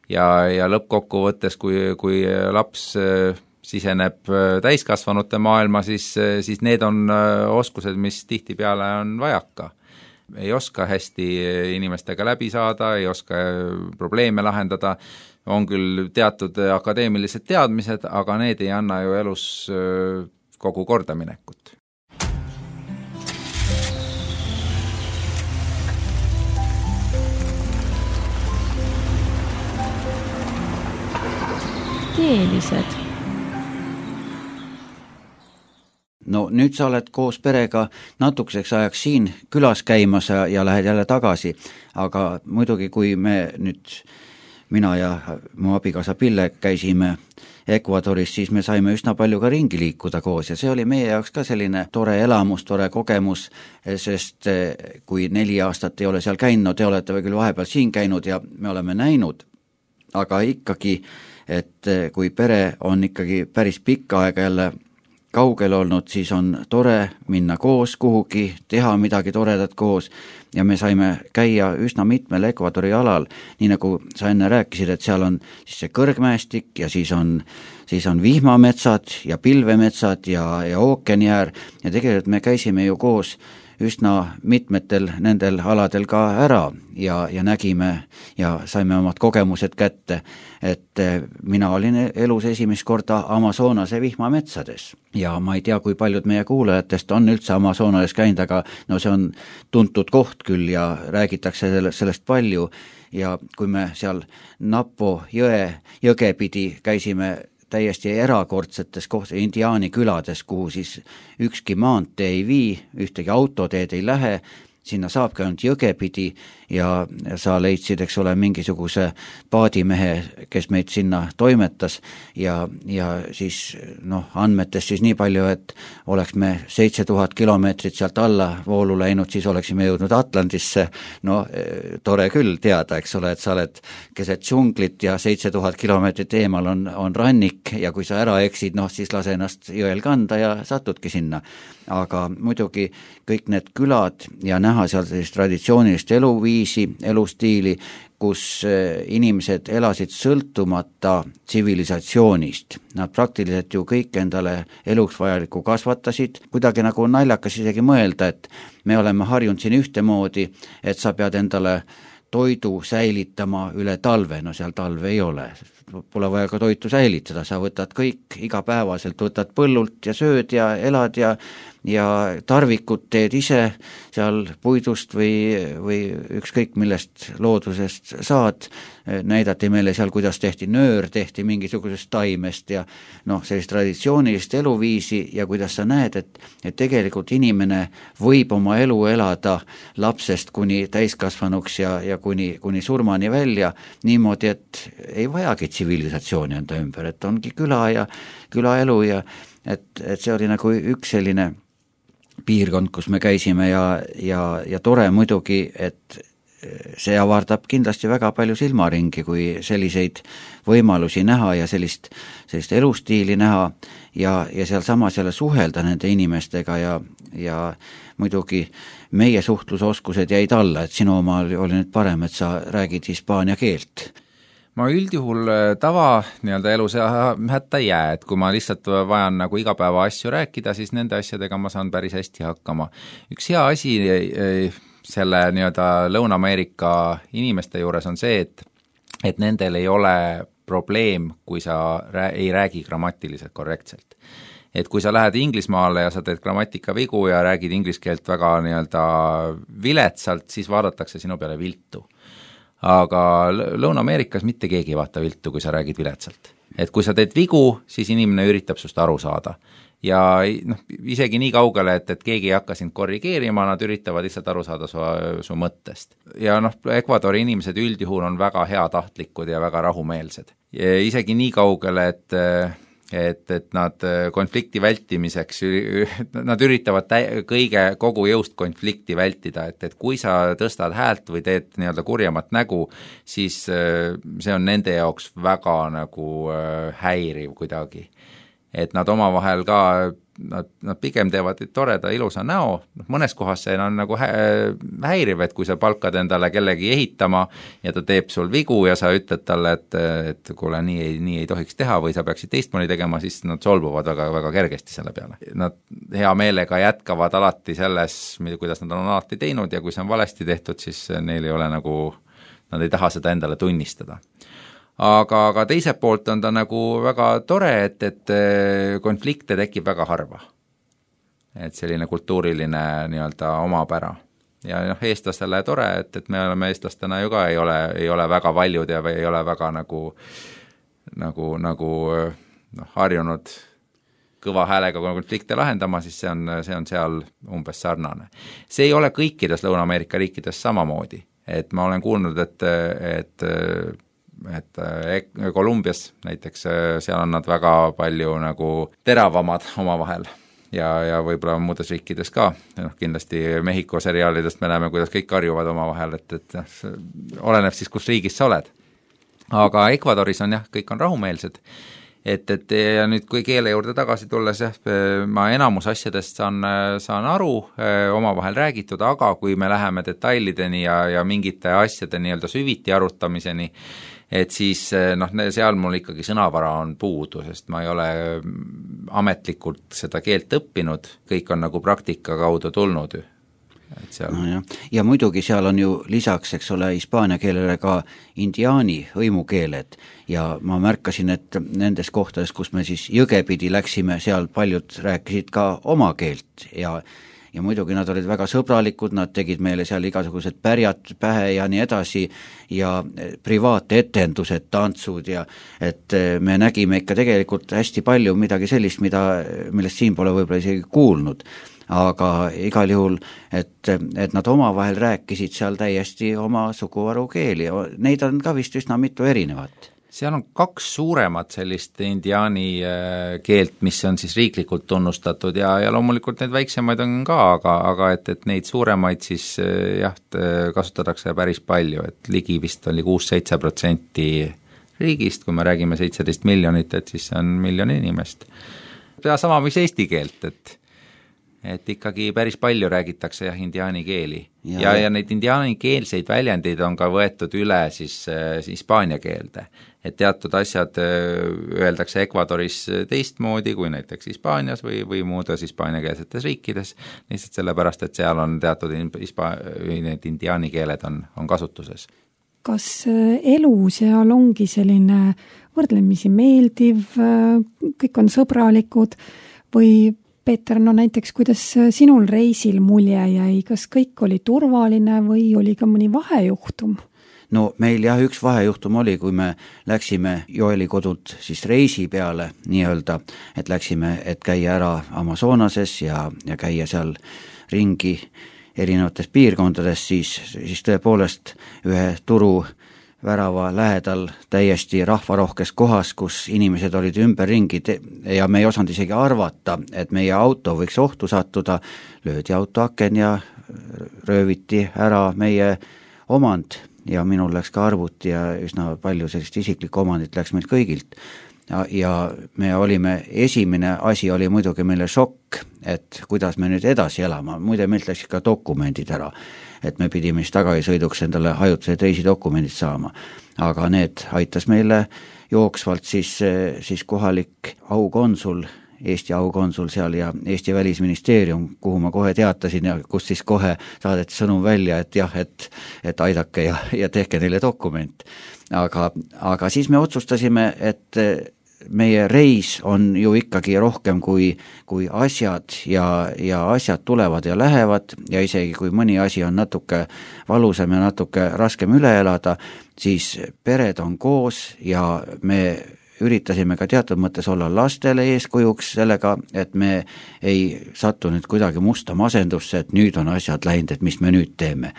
D: Ja, ja lõppkokkuvõttes, kui, kui laps siseneb täiskasvanute maailma, siis, siis need on oskused, mis tihtipeale on vajaka. Ei oska hästi inimestega läbi saada, ei oska probleeme lahendada, on küll teatud akadeemilised teadmised, aga need ei anna ju elus kogu kordaminekut.
A: Keelised.
C: No nüüd sa oled koos perega natukeseks ajaks siin külas käimas ja, ja lähed jälle tagasi, aga muidugi kui me nüüd, mina ja mu abikaasa Pille käisime Ecuadoris, siis me saime üsna palju ka ringi liikuda koos ja see oli meie jaoks ka selline tore elamus, tore kogemus, sest kui neli aastat ei ole seal käinud, te olete või küll vahepeal siin käinud ja me oleme näinud, aga ikkagi, et kui pere on ikkagi päris pikka aega jälle kaugel olnud, siis on tore minna koos kuhugi, teha midagi toredat koos ja me saime käia üsna mitmel Ecuadori alal, nii nagu sa enne rääkisid, et seal on siis see kõrgmäestik ja siis on, siis on vihmametsad ja pilvemetsad ja, ja ookeaniäär ja tegelikult me käisime ju koos üsna mitmetel nendel aladel ka ära ja, ja nägime ja saime omad kogemused kätte, et mina olin elus esimest korda Amazonase vihmametsades ja ma ei tea, kui paljud meie kuulajatest on üldse Amazonales käinud, aga no see on tuntud koht küll ja räägitakse sellest palju ja kui me seal Napo jõe, jõge pidi käisime täiesti erakordsetes koht, indiaani külades, kuhu siis ükski maantee ei vii, ühtegi autoteed ei lähe, sinna saabki ainult jõge pidi ja sa leidsid, eks ole, mingisuguse paadimehe, kes meid sinna toimetas ja, ja siis noh, andmetest siis nii palju, et oleks me seitse tuhat kilomeetrit sealt alla voolu läinud, siis oleksime jõudnud Atlandisse, no tore küll teada, eks ole, et sa oled keset džunglit ja seitse tuhat kilomeetrit eemal on, on rannik ja kui sa ära eksid, noh siis lase ennast jõel kanda ja satudki sinna. Aga muidugi kõik need külad ja näha seal sellist traditsioonilist eluviisi, elustiili, kus inimesed elasid sõltumata tsivilisatsioonist. Nad praktiliselt ju kõik endale eluks vajalikku kasvatasid, kuidagi nagu naljakas isegi mõelda, et me oleme harjunud siin ühtemoodi, et sa pead endale toidu säilitama üle talve, no seal talve ei ole. Pole vaja ka toitu säilitada, sa võtad kõik igapäevaselt, võtad põllult ja sööd ja elad ja, ja tarvikut teed ise seal puidust või, või ükskõik millest loodusest saad. Näidati meile seal, kuidas tehti nöör, tehti mingisugusest taimest ja noh, sellist traditsioonilist eluviisi ja kuidas sa näed, et, et tegelikult inimene võib oma elu elada lapsest kuni täiskasvanuks ja, ja kuni, kuni surmani välja niimoodi, et ei vajagi tsivilisatsiooni enda ümber, et ongi küla ja külaelu ja et, et see oli nagu üks selline piirkond, kus me käisime ja, ja, ja tore muidugi, et see avardab kindlasti väga palju silmaringi, kui selliseid võimalusi näha ja sellist, sellist elustiili näha ja, ja seal samas jälle suhelda nende inimestega ja, ja muidugi meie suhtlusoskused jäid alla, et sinu oma oli, oli nüüd parem, et sa räägid hispaania keelt.
D: Ma üldjuhul tava nii-öelda elus hätta ei jää, et kui ma lihtsalt vajan nagu igapäeva asju rääkida, siis nende asjadega ma saan päris hästi hakkama. Üks hea asi selle nii-öelda Lõuna-Ameerika inimeste juures on see, et, et nendel ei ole probleem, kui sa rää- ei räägi grammatiliselt korrektselt. Et kui sa lähed Inglismaale ja sa teed grammatika vigu ja räägid inglise keelt väga nii-öelda viletsalt, siis vaadatakse sinu peale viltu. Aga Lõuna-Ameerikas mitte keegi ei vaata viltu, kui sa räägid viletsalt. Et kui sa teed vigu, siis inimene üritab sust aru saada. Ja noh, isegi nii kaugele, et, et keegi ei hakka sind korrigeerima, nad üritavad lihtsalt aru saada su, su mõttest. Ja noh, Ecuadori inimesed üldjuhul on väga heatahtlikud ja väga rahumeelsed. Ja isegi nii kaugele, et et, et nad konflikti vältimiseks, nad üritavad tä- kõige kogu jõust konflikti vältida, et, et kui sa tõstad häält või teed nii-öelda kurjamat nägu, siis see on nende jaoks väga nagu häiriv kuidagi. Et nad omavahel ka, nad, nad pigem teevad toreda ilusa näo, mõnes kohas see on nagu häiriv, et kui sa palkad endale kellegi ehitama ja ta teeb sul vigu ja sa ütled talle, et, et kuule, nii ei, nii ei tohiks teha või sa peaksid teistmoodi tegema, siis nad solvuvad väga, väga kergesti selle peale. Nad hea meelega jätkavad alati selles, kuidas nad on alati teinud ja kui see on valesti tehtud, siis neil ei ole nagu, nad ei taha seda endale tunnistada. Aga, aga teiselt poolt on ta nagu väga tore, et, et konflikte tekib väga harva. Et selline kultuuriline nii-öelda omapära. Ja noh, eestlastele tore, et, et me oleme eestlastena ju ka ei ole, ei ole väga valjud ja ei ole väga nagu, nagu, nagu noh, harjunud kõva häälega konflikte lahendama, siis see on, see on seal umbes sarnane. See ei ole kõikides Lõuna-Ameerika riikides samamoodi. Et ma olen kuulnud, et, et et Kolumbias näiteks, seal on nad väga palju nagu teravamad omavahel ja, ja võib-olla muudes riikides ka, noh, kindlasti Mehhiko seriaalidest me näeme, kuidas kõik karjuvad omavahel, et, et oleneb siis, kus riigis sa oled. Aga Ecuadoris on jah, kõik on rahumeelsed, et, et ja nüüd kui keele juurde tagasi tulles, jah, ma enamus asjadest saan, saan aru, omavahel räägitud, aga kui me läheme detailideni ja, ja mingite asjade nii-öelda süviti arutamiseni, et siis noh, seal mul ikkagi sõnavara on puudu, sest ma ei ole ametlikult seda keelt õppinud, kõik on nagu praktika kaudu tulnud. Et seal... no jah.
C: Ja muidugi seal on ju lisaks, eks ole, hispaania keelele ka indiaani hõimukeeled ja ma märkasin, et nendes kohtades, kus me siis jõgepidi läksime, seal paljud rääkisid ka oma keelt ja ja muidugi nad olid väga sõbralikud, nad tegid meile seal igasugused pärjad pähe ja nii edasi ja privaatetendused, tantsud ja et me nägime ikka tegelikult hästi palju midagi sellist, mida, millest siin pole võib-olla isegi kuulnud. Aga igal juhul, et, et nad omavahel rääkisid seal täiesti oma suguvaru keeli, neid on ka vist üsna mitu erinevat.
D: Seal on kaks suuremat sellist indiaani keelt, mis on siis riiklikult tunnustatud ja, ja loomulikult neid väiksemaid on ka, aga, aga et, et neid suuremaid siis jah, kasutatakse päris palju, et ligi vist oli kuus-seitse protsenti riigist, kui me räägime seitseteist miljonit, et siis on miljon inimest. Ja sama, mis eesti keelt, et et ikkagi päris palju räägitakse jah, indiaani keeli. Ja, ja, ja neid indiaani keelseid väljendeid on ka võetud üle siis, siis hispaania keelde. Et teatud asjad öeldakse Ecuadoris teistmoodi kui näiteks Hispaanias või, või muudes hispaaniakeelsetes riikides, lihtsalt sellepärast, et seal on teatud hispa, need indiaani keeled on, on kasutuses.
A: Kas elu seal ongi selline võrdlemisi meeldiv, kõik on sõbralikud või Peeter, no näiteks, kuidas sinul reisil mulje jäi, kas kõik oli turvaline või oli ka mõni vahejuhtum?
C: No meil jah, üks vahejuhtum oli, kui me läksime Joeli kodult siis reisi peale nii-öelda, et läksime, et käia ära Amazonases ja, ja käia seal ringi erinevates piirkondades, siis, siis tõepoolest ühe turu värava lähedal täiesti rahvarohkes kohas, kus inimesed olid ümberringi ja me ei osanud isegi arvata, et meie auto võiks ohtu sattuda, löödi auto aken ja rööviti ära meie omand ja minul läks ka arvuti ja üsna palju sellist isiklikku omandit läks meil kõigilt. Ja, ja me olime, esimene asi oli muidugi meile šokk, et kuidas me nüüd edasi elama, muide meilt läksid ka dokumendid ära, et me pidime siis tagasisõiduks endale ajutised reisidokumendid saama, aga need aitas meile jooksvalt siis, siis kohalik aukonsul, Eesti aukonsul seal ja Eesti Välisministeerium, kuhu ma kohe teatasin ja kus siis kohe saadeti sõnum välja, et jah, et, et aidake ja, ja tehke neile dokument. Aga, aga siis me otsustasime, et meie reis on ju ikkagi rohkem kui, kui asjad ja, ja asjad tulevad ja lähevad ja isegi kui mõni asi on natuke valusam ja natuke raskem üle elada, siis pered on koos ja me üritasime ka teatud mõttes olla lastele eeskujuks sellega, et me ei sattu nüüd kuidagi musta masendusse, et nüüd on asjad läinud, et mis me nüüd teeme.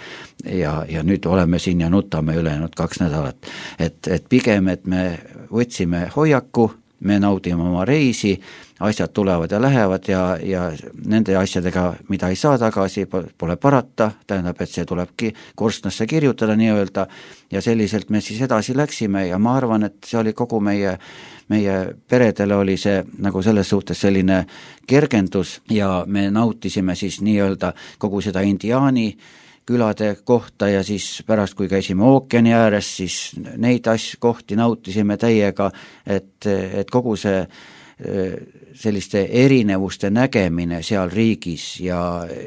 C: Ja, ja nüüd oleme siin ja nutame ülejäänud kaks nädalat. Et, et pigem, et me võtsime hoiaku me naudime oma reisi, asjad tulevad ja lähevad ja, ja nende asjadega, mida ei saa tagasi, pole parata, tähendab, et see tulebki korstnasse kirjutada nii-öelda ja selliselt me siis edasi läksime ja ma arvan, et see oli kogu meie meie peredele oli see nagu selles suhtes selline kergendus ja me nautisime siis nii-öelda kogu seda indiaani külade kohta ja siis pärast, kui käisime ookeani ääres, siis neid asju kohti nautisime täiega, et, et kogu see selliste erinevuste nägemine seal riigis ja,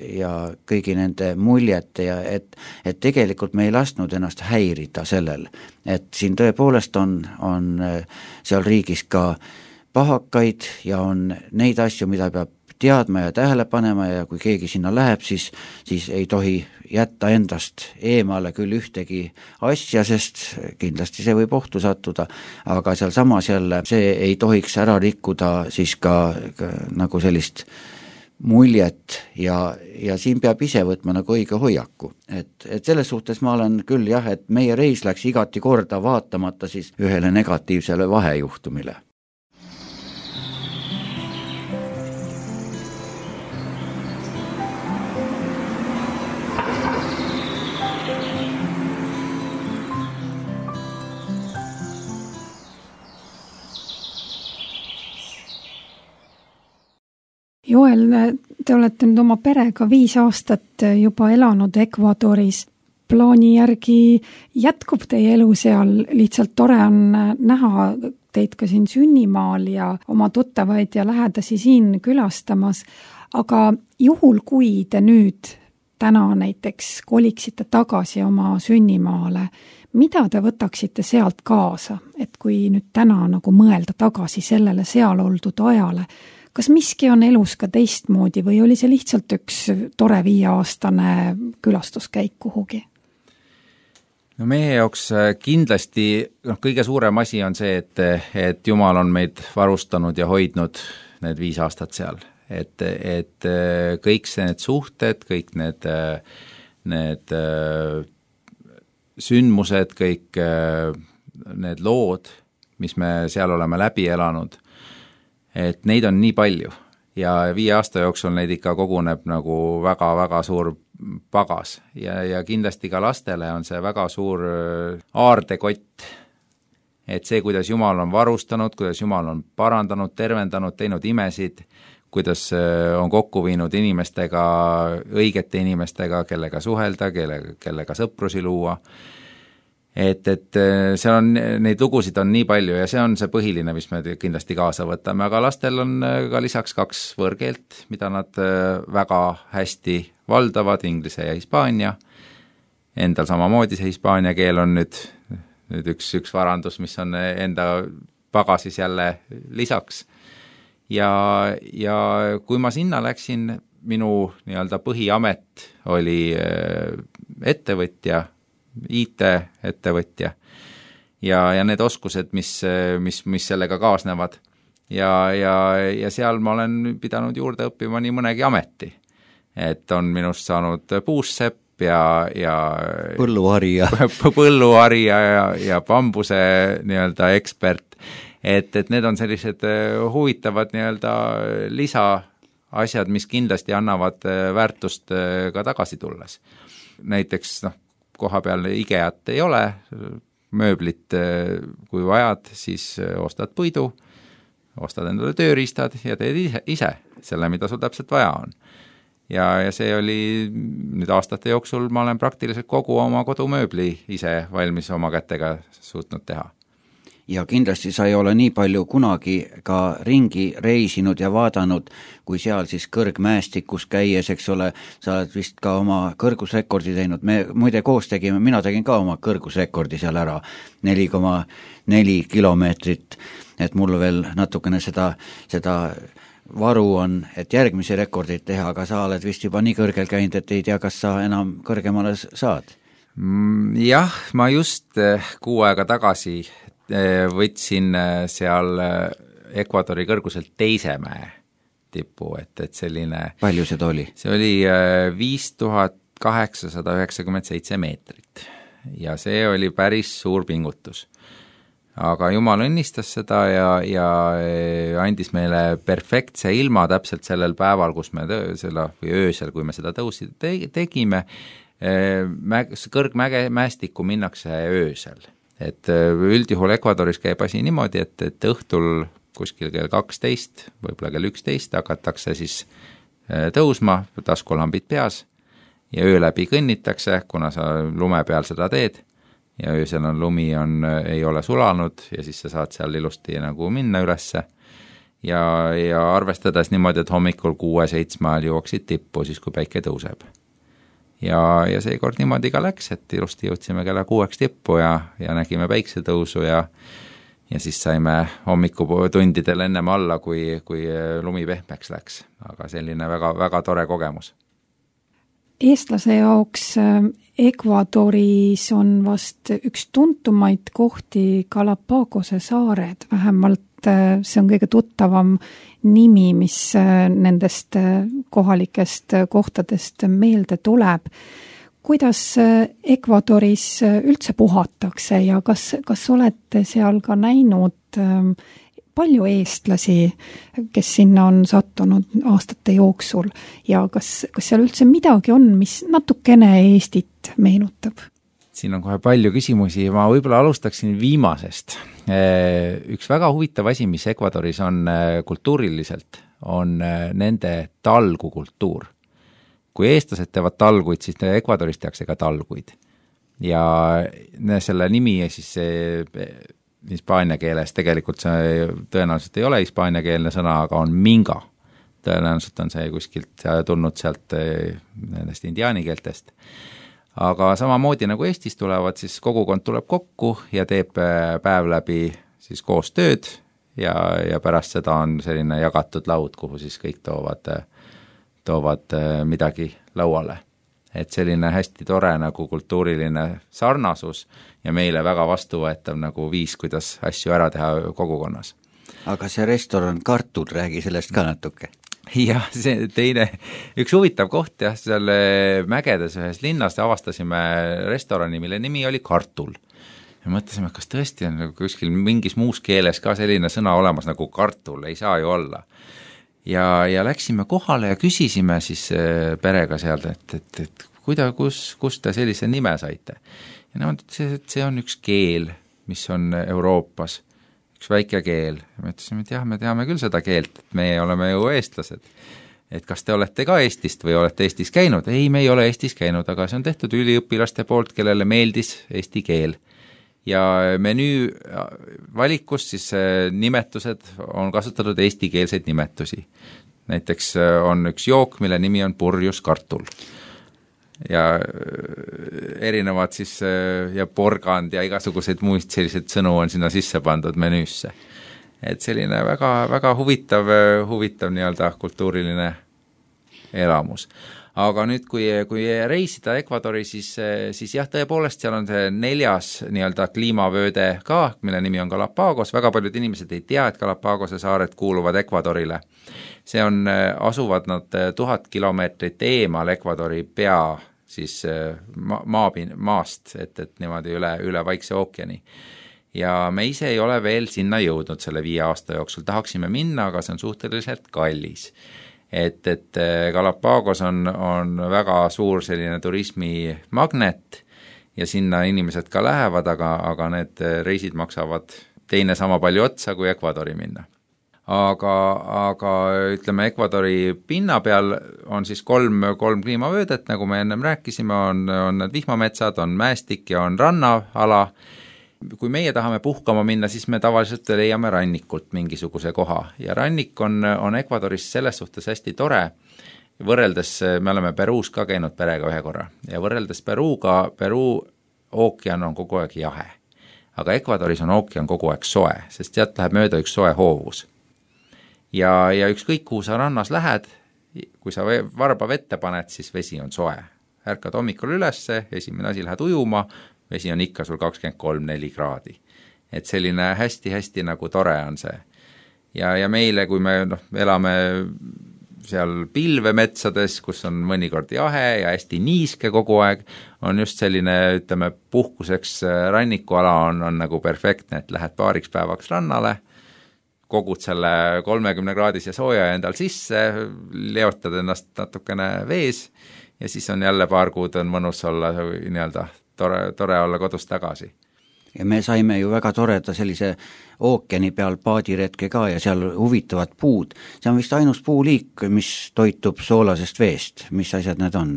C: ja kõigi nende muljete ja et, et tegelikult me ei lasknud ennast häirida sellel, et siin tõepoolest on, on seal riigis ka pahakaid ja on neid asju, mida peab teadma ja tähele panema ja kui keegi sinna läheb, siis, siis ei tohi jätta endast eemale küll ühtegi asja, sest kindlasti see võib ohtu sattuda, aga seal samas jälle see ei tohiks ära rikkuda siis ka, ka nagu sellist muljet ja, ja siin peab ise võtma nagu õige hoiaku. Et, et selles suhtes ma olen küll jah, et meie reis läks igati korda vaatamata siis ühele negatiivsele vahejuhtumile.
A: Joel, te olete nüüd oma perega viis aastat juba elanud Ecuadoris. Plaani järgi jätkub teie elu seal, lihtsalt tore on näha teid ka siin sünnimaal ja oma tuttavaid ja lähedasi siin külastamas. Aga juhul, kui te nüüd täna näiteks koliksite tagasi oma sünnimaale, mida te võtaksite sealt kaasa, et kui nüüd täna nagu mõelda tagasi sellele seal oldud ajale, kas miski on elus ka teistmoodi või oli see lihtsalt üks tore viieaastane külastuskäik kuhugi?
D: No meie jaoks kindlasti no, kõige suurem asi on see, et, et Jumal on meid varustanud ja hoidnud need viis aastat seal. Et, et kõik need suhted, kõik need, need sündmused, kõik need lood, mis me seal oleme läbi elanud, et neid on nii palju ja viie aasta jooksul neid ikka koguneb nagu väga-väga suur pagas ja, ja kindlasti ka lastele on see väga suur aardekott, et see, kuidas Jumal on varustanud, kuidas Jumal on parandanud, tervendanud, teinud imesid, kuidas on kokku viinud inimestega, õigete inimestega, kellega suhelda, kelle, kellega sõprusi luua. Et, et seal on, neid lugusid on nii palju ja see on see põhiline, mis me kindlasti kaasa võtame, aga lastel on ka lisaks kaks võõrkeelt, mida nad väga hästi valdavad, inglise ja hispaania. Endal samamoodi see hispaania keel on nüüd, nüüd üks, üks varandus, mis on enda pagasis jälle lisaks. Ja, ja kui ma sinna läksin, minu nii-öelda põhiamet oli ettevõtja, I T-ettevõtja ja, ja need oskused, mis, mis, mis sellega kaasnevad. Ja, ja, ja seal ma olen pidanud juurde õppima nii mõnegi ameti. Et on minust saanud puussepp ja, ja
C: põlluharija,
D: põlluharija ja, ja bambuse nii-öelda ekspert. Et, et need on sellised huvitavad nii-öelda lisaasjad, mis kindlasti annavad väärtust ka tagasi tulles. Näiteks noh, koha peal IKEA-t ei ole, mööblit kui vajad, siis ostad puidu, ostad endale tööriistad ja teed ise, ise selle, mida sul täpselt vaja on. Ja, ja see oli nüüd aastate jooksul, ma olen praktiliselt kogu oma kodumööbli ise valmis oma kätega suutnud teha.
C: Ja kindlasti sa ei ole nii palju kunagi ka ringi reisinud ja vaadanud, kui seal siis kõrgmäestikus käies, eks ole, sa oled vist ka oma kõrgusrekordi teinud. Me muide koos tegime, mina tegin ka oma kõrgusrekordi seal ära, neli koma neli kilomeetrit, et mul veel natukene seda, seda varu on, et järgmisi rekordid teha, aga sa oled vist juba nii kõrgel käinud, et ei tea, kas sa enam kõrgemale saad?
D: Jah, ma just kuu aega tagasi võtsin seal Ecuadori kõrguselt teise mäe tipu, et, et selline...
C: Palju seda oli?
D: See oli viis tuhat kaheksasada üheksakümmend seitse meetrit ja see oli päris suur pingutus. aga Jumal õnnistas seda ja, ja andis meile perfektse ilma täpselt sellel päeval, kus me tõ- selle, või öösel, kui me seda tõusi te- tegime, mäg-, kõrgmäge, mäestikku minnakse öösel. Et üldjuhul Ecuadoris käib asi niimoodi, et, et õhtul kuskil kell kaksteist, võib-olla kell üksteist hakatakse siis tõusma, taskulambid peas, ja öö läbi kõnnitakse, kuna sa lume peal seda teed, ja öösel on lumi, on, ei ole sulanud ja siis sa saad seal ilusti nagu minna ülesse ja, ja arvestades niimoodi, et hommikul kuue-seitsme ajal jõuaksid tippu, siis kui päike tõuseb. Ja, ja seekord niimoodi ka läks, et ilusti jõudsime kella kuueks tippu ja, ja nägime päiksetõusu ja, ja siis saime hommikutundidel ennem alla, kui, kui lumi pehmeks läks. Aga selline väga, väga tore kogemus.
A: Eestlase jaoks Ecuadoris on vast üks tuntumaid kohti Galapagose saared, vähemalt see on kõige tuttavam nimi, mis nendest kohalikest kohtadest meelde tuleb. Kuidas Ecuadoris üldse puhatakse ja kas, kas olete seal ka näinud palju eestlasi, kes sinna on sattunud aastate jooksul ja kas, kas seal üldse midagi on, mis natukene Eestit meenutab?
D: Siin on kohe palju küsimusi, ma võib-olla alustaksin viimasest. Üks väga huvitav asi, mis Ecuadoris on kultuuriliselt, on nende talgukultuur. Kui eestlased teevad talguid, siis Ecuadoris tehakse ka talguid. Ja selle nimi siis hispaania keeles, tegelikult see tõenäoliselt ei ole hispaaniakeelne sõna, aga on minga. Tõenäoliselt on see kuskilt tulnud sealt nendest indiaani keeltest. Aga samamoodi nagu Eestis tulevad, siis kogukond tuleb kokku ja teeb päev läbi siis koos tööd ja, ja pärast seda on selline jagatud laud, kuhu siis kõik toovad, toovad midagi lauale. Et selline hästi tore nagu kultuuriline sarnasus ja meile väga vastuvõetav nagu viis, kuidas asju ära teha kogukonnas.
C: Aga see restoran Kartul, räägi sellest ka natuke.
D: Jah, see teine, üks huvitav koht jah, seal mägedes ühes linnas avastasime restorani, mille nimi oli Kartul. Ja mõtlesime, kas tõesti on kuskil mingis muus keeles ka selline sõna olemas nagu kartul, ei saa ju olla. Ja, ja läksime kohale ja küsisime siis perega sealt, et, et, et kuida, kus, kus te sellise nime saite. Ja nemad ütlesid, et see on üks keel, mis on Euroopas, üks väike keel. Ja me ütlesime, et jah, me teame küll seda keelt, et meie oleme ju eestlased. Et kas te olete ka Eestist või olete Eestis käinud? Ei, me ei ole Eestis käinud, aga see on tehtud üliõpilaste poolt, kellele meeldis eesti keel. Ja menüü valikus siis nimetused on kasutatud eestikeelseid nimetusi. Näiteks on üks jook, mille nimi on purjus kartul. Ja erinevad siis ja porgand ja igasuguseid muist sellised sõnu on sinna sisse pandud menüüsse. Et selline väga, väga huvitav, huvitav nii-öelda kultuuriline elamus. Aga nüüd, kui, kui reisida Ecuadori, siis, siis jah, tõepoolest seal on see neljas nii-öelda kliimavööde ka, mille nimi on Galapagos. Väga paljud inimesed ei tea, et Galapagose saared kuuluvad Ecuadorile. See on, asuvad nad tuhat kilomeetrit eemal Ecuadori pea siis ma, maapin, maast, et, et niimoodi üle, üle Vaikse ookeani. Ja me ise ei ole veel sinna jõudnud selle viie aasta jooksul. Tahaksime minna, aga see on suhteliselt kallis. Et, et Galapagos on, on väga suur selline turismimagnet ja sinna inimesed ka lähevad, aga, aga need reisid maksavad teine sama palju otsa kui Ecuadori minna. Aga, aga ütleme, Ecuadori pinna peal on siis kolm, kolm kliimavöödet, nagu me ennem rääkisime, on, on need vihmametsad, on mäestik ja on rannaala. Kui meie tahame puhkama minna, siis me tavaliselt leiame rannikult mingisuguse koha ja rannik on, on Ecuadoris selles suhtes hästi tore, võrreldes, me oleme Peruus ka käinud perega ühe korra ja võrreldes Peruuga, Peruu ookean on kogu aeg jahe, aga Ecuadoris on ookean kogu aeg soe, sest sealt läheb mööda üks soe hoovus. Ja, ja ükskõik, kuhu sa rannas lähed, kui sa varba vette paned, siis vesi on soe. Ärkad hommikul ülesse, esimene asi lähed ujuma, vesi on ikka sul kakskümmend kolm neli kraadi. Et selline hästi-hästi nagu tore on see. Ja, ja meile, kui me noh, elame seal pilvemetsades, kus on mõnikord jahe ja hästi niiske kogu aeg, on just selline, ütleme, puhkuseks rannikuala on, on nagu perfektne, et lähed paariks päevaks rannale, kogud selle kolmekümne kraadise sooja endal sisse, leotad ennast natukene vees ja siis on jälle paar kuud on mõnus olla nii-öelda tore, tore olla kodus tagasi.
C: Ja me saime ju väga toreda sellise ookeani peal paadiretke ka ja seal huvitavad puud. See on vist ainus puuliik, mis toitub soolasest veest. Mis asjad need on?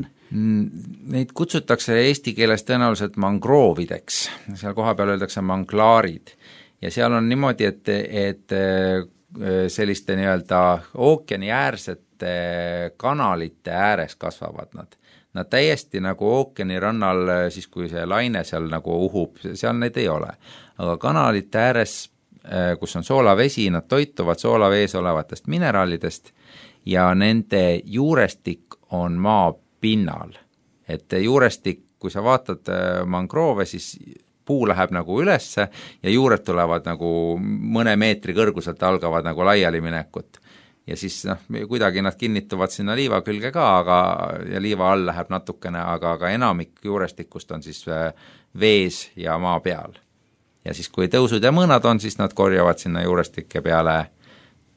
D: Neid kutsutakse eesti keeles tõenäoliselt mangroovideks. Seal koha peal öeldakse manglaarid. Ja seal on niimoodi, et, et selliste nii-öelda ookeani äärsete kanalite ääres kasvavad nad. Nad täiesti nagu ookeani rannal, siis kui see laine seal nagu uhub, seal neid ei ole. Aga kanalite ääres, kus on soolavesi, nad toituvad soolavees olevatest mineraalidest ja nende juurestik on maa pinnal. Et juurestik, kui sa vaatad mangroove, siis puu läheb nagu ülesse ja juured tulevad nagu mõne meetri kõrguselt algavad nagu laiali minekut. Ja siis noh, kuidagi nad kinnituvad sinna liiva külge ka, aga, ja liiva all läheb natukene, aga, aga enamik juurestikust on siis vees ja maa peal. Ja siis kui tõusud ja mõõnad on, siis nad korjavad sinna juurestike peale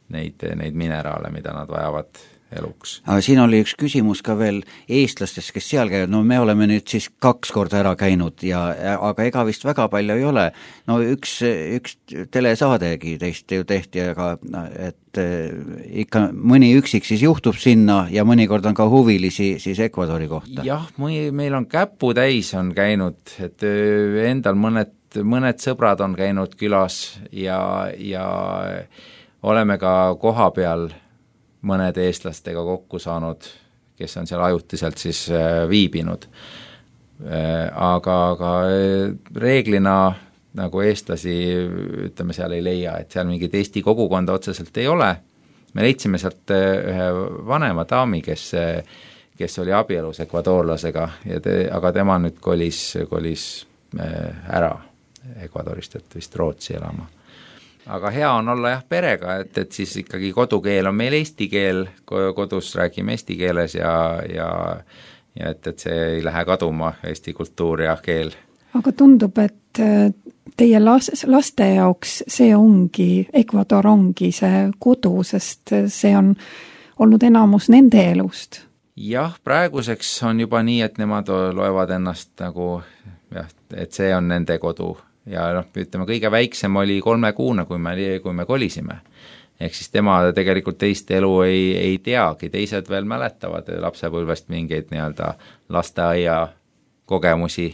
D: neid, neid mineraale, mida nad vajavad eluks.
C: Aga siin oli üks küsimus ka veel eestlastest, kes seal käivad, no me oleme nüüd siis kaks korda ära käinud, ja, aga ega vist väga palju ei ole. No üks, üks telesaadegi teist ju tehti, aga et ikka mõni üksik siis juhtub sinna ja mõnikord on ka huvilisi siis Ecuadori kohta.
D: Jah, meil on käpu täis on käinud, et endal mõned, mõned sõbrad on käinud külas ja, ja oleme ka koha peal mõned eestlastega kokku saanud, kes on seal ajutiselt siis viibinud. Aga, aga reeglina nagu eestlasi, ütleme, seal ei leia, et seal mingit Eesti kogukonda otseselt ei ole. Me leidsime sealt ühe vanema daami, kes, kes oli abielus ekvadoorlasega, ja te, aga tema nüüd kolis, kolis ära Ecuadorist, et vist Rootsi elama. Aga hea on olla jah perega, et, et siis ikkagi kodukeel on meil eesti keel, kodus räägime eesti keeles ja, ja, ja et, et see ei lähe kaduma eesti kultuur ja keel.
A: Aga tundub, et teie las, laste jaoks see ongi, Ecuador ongi see kodu, sest see on olnud enamus nende elust.
D: Jah, praeguseks on juba nii, et nemad loevad ennast nagu, jah, et see on nende kodu. Ja noh, ütleme, kõige väiksem oli kolme kuuna, kui me, kui me kolisime. Ehk siis tema tegelikult teist elu ei, ei teagi, teised veel mäletavad lapsepõlvest mingeid nii-öelda lasteaia kogemusi,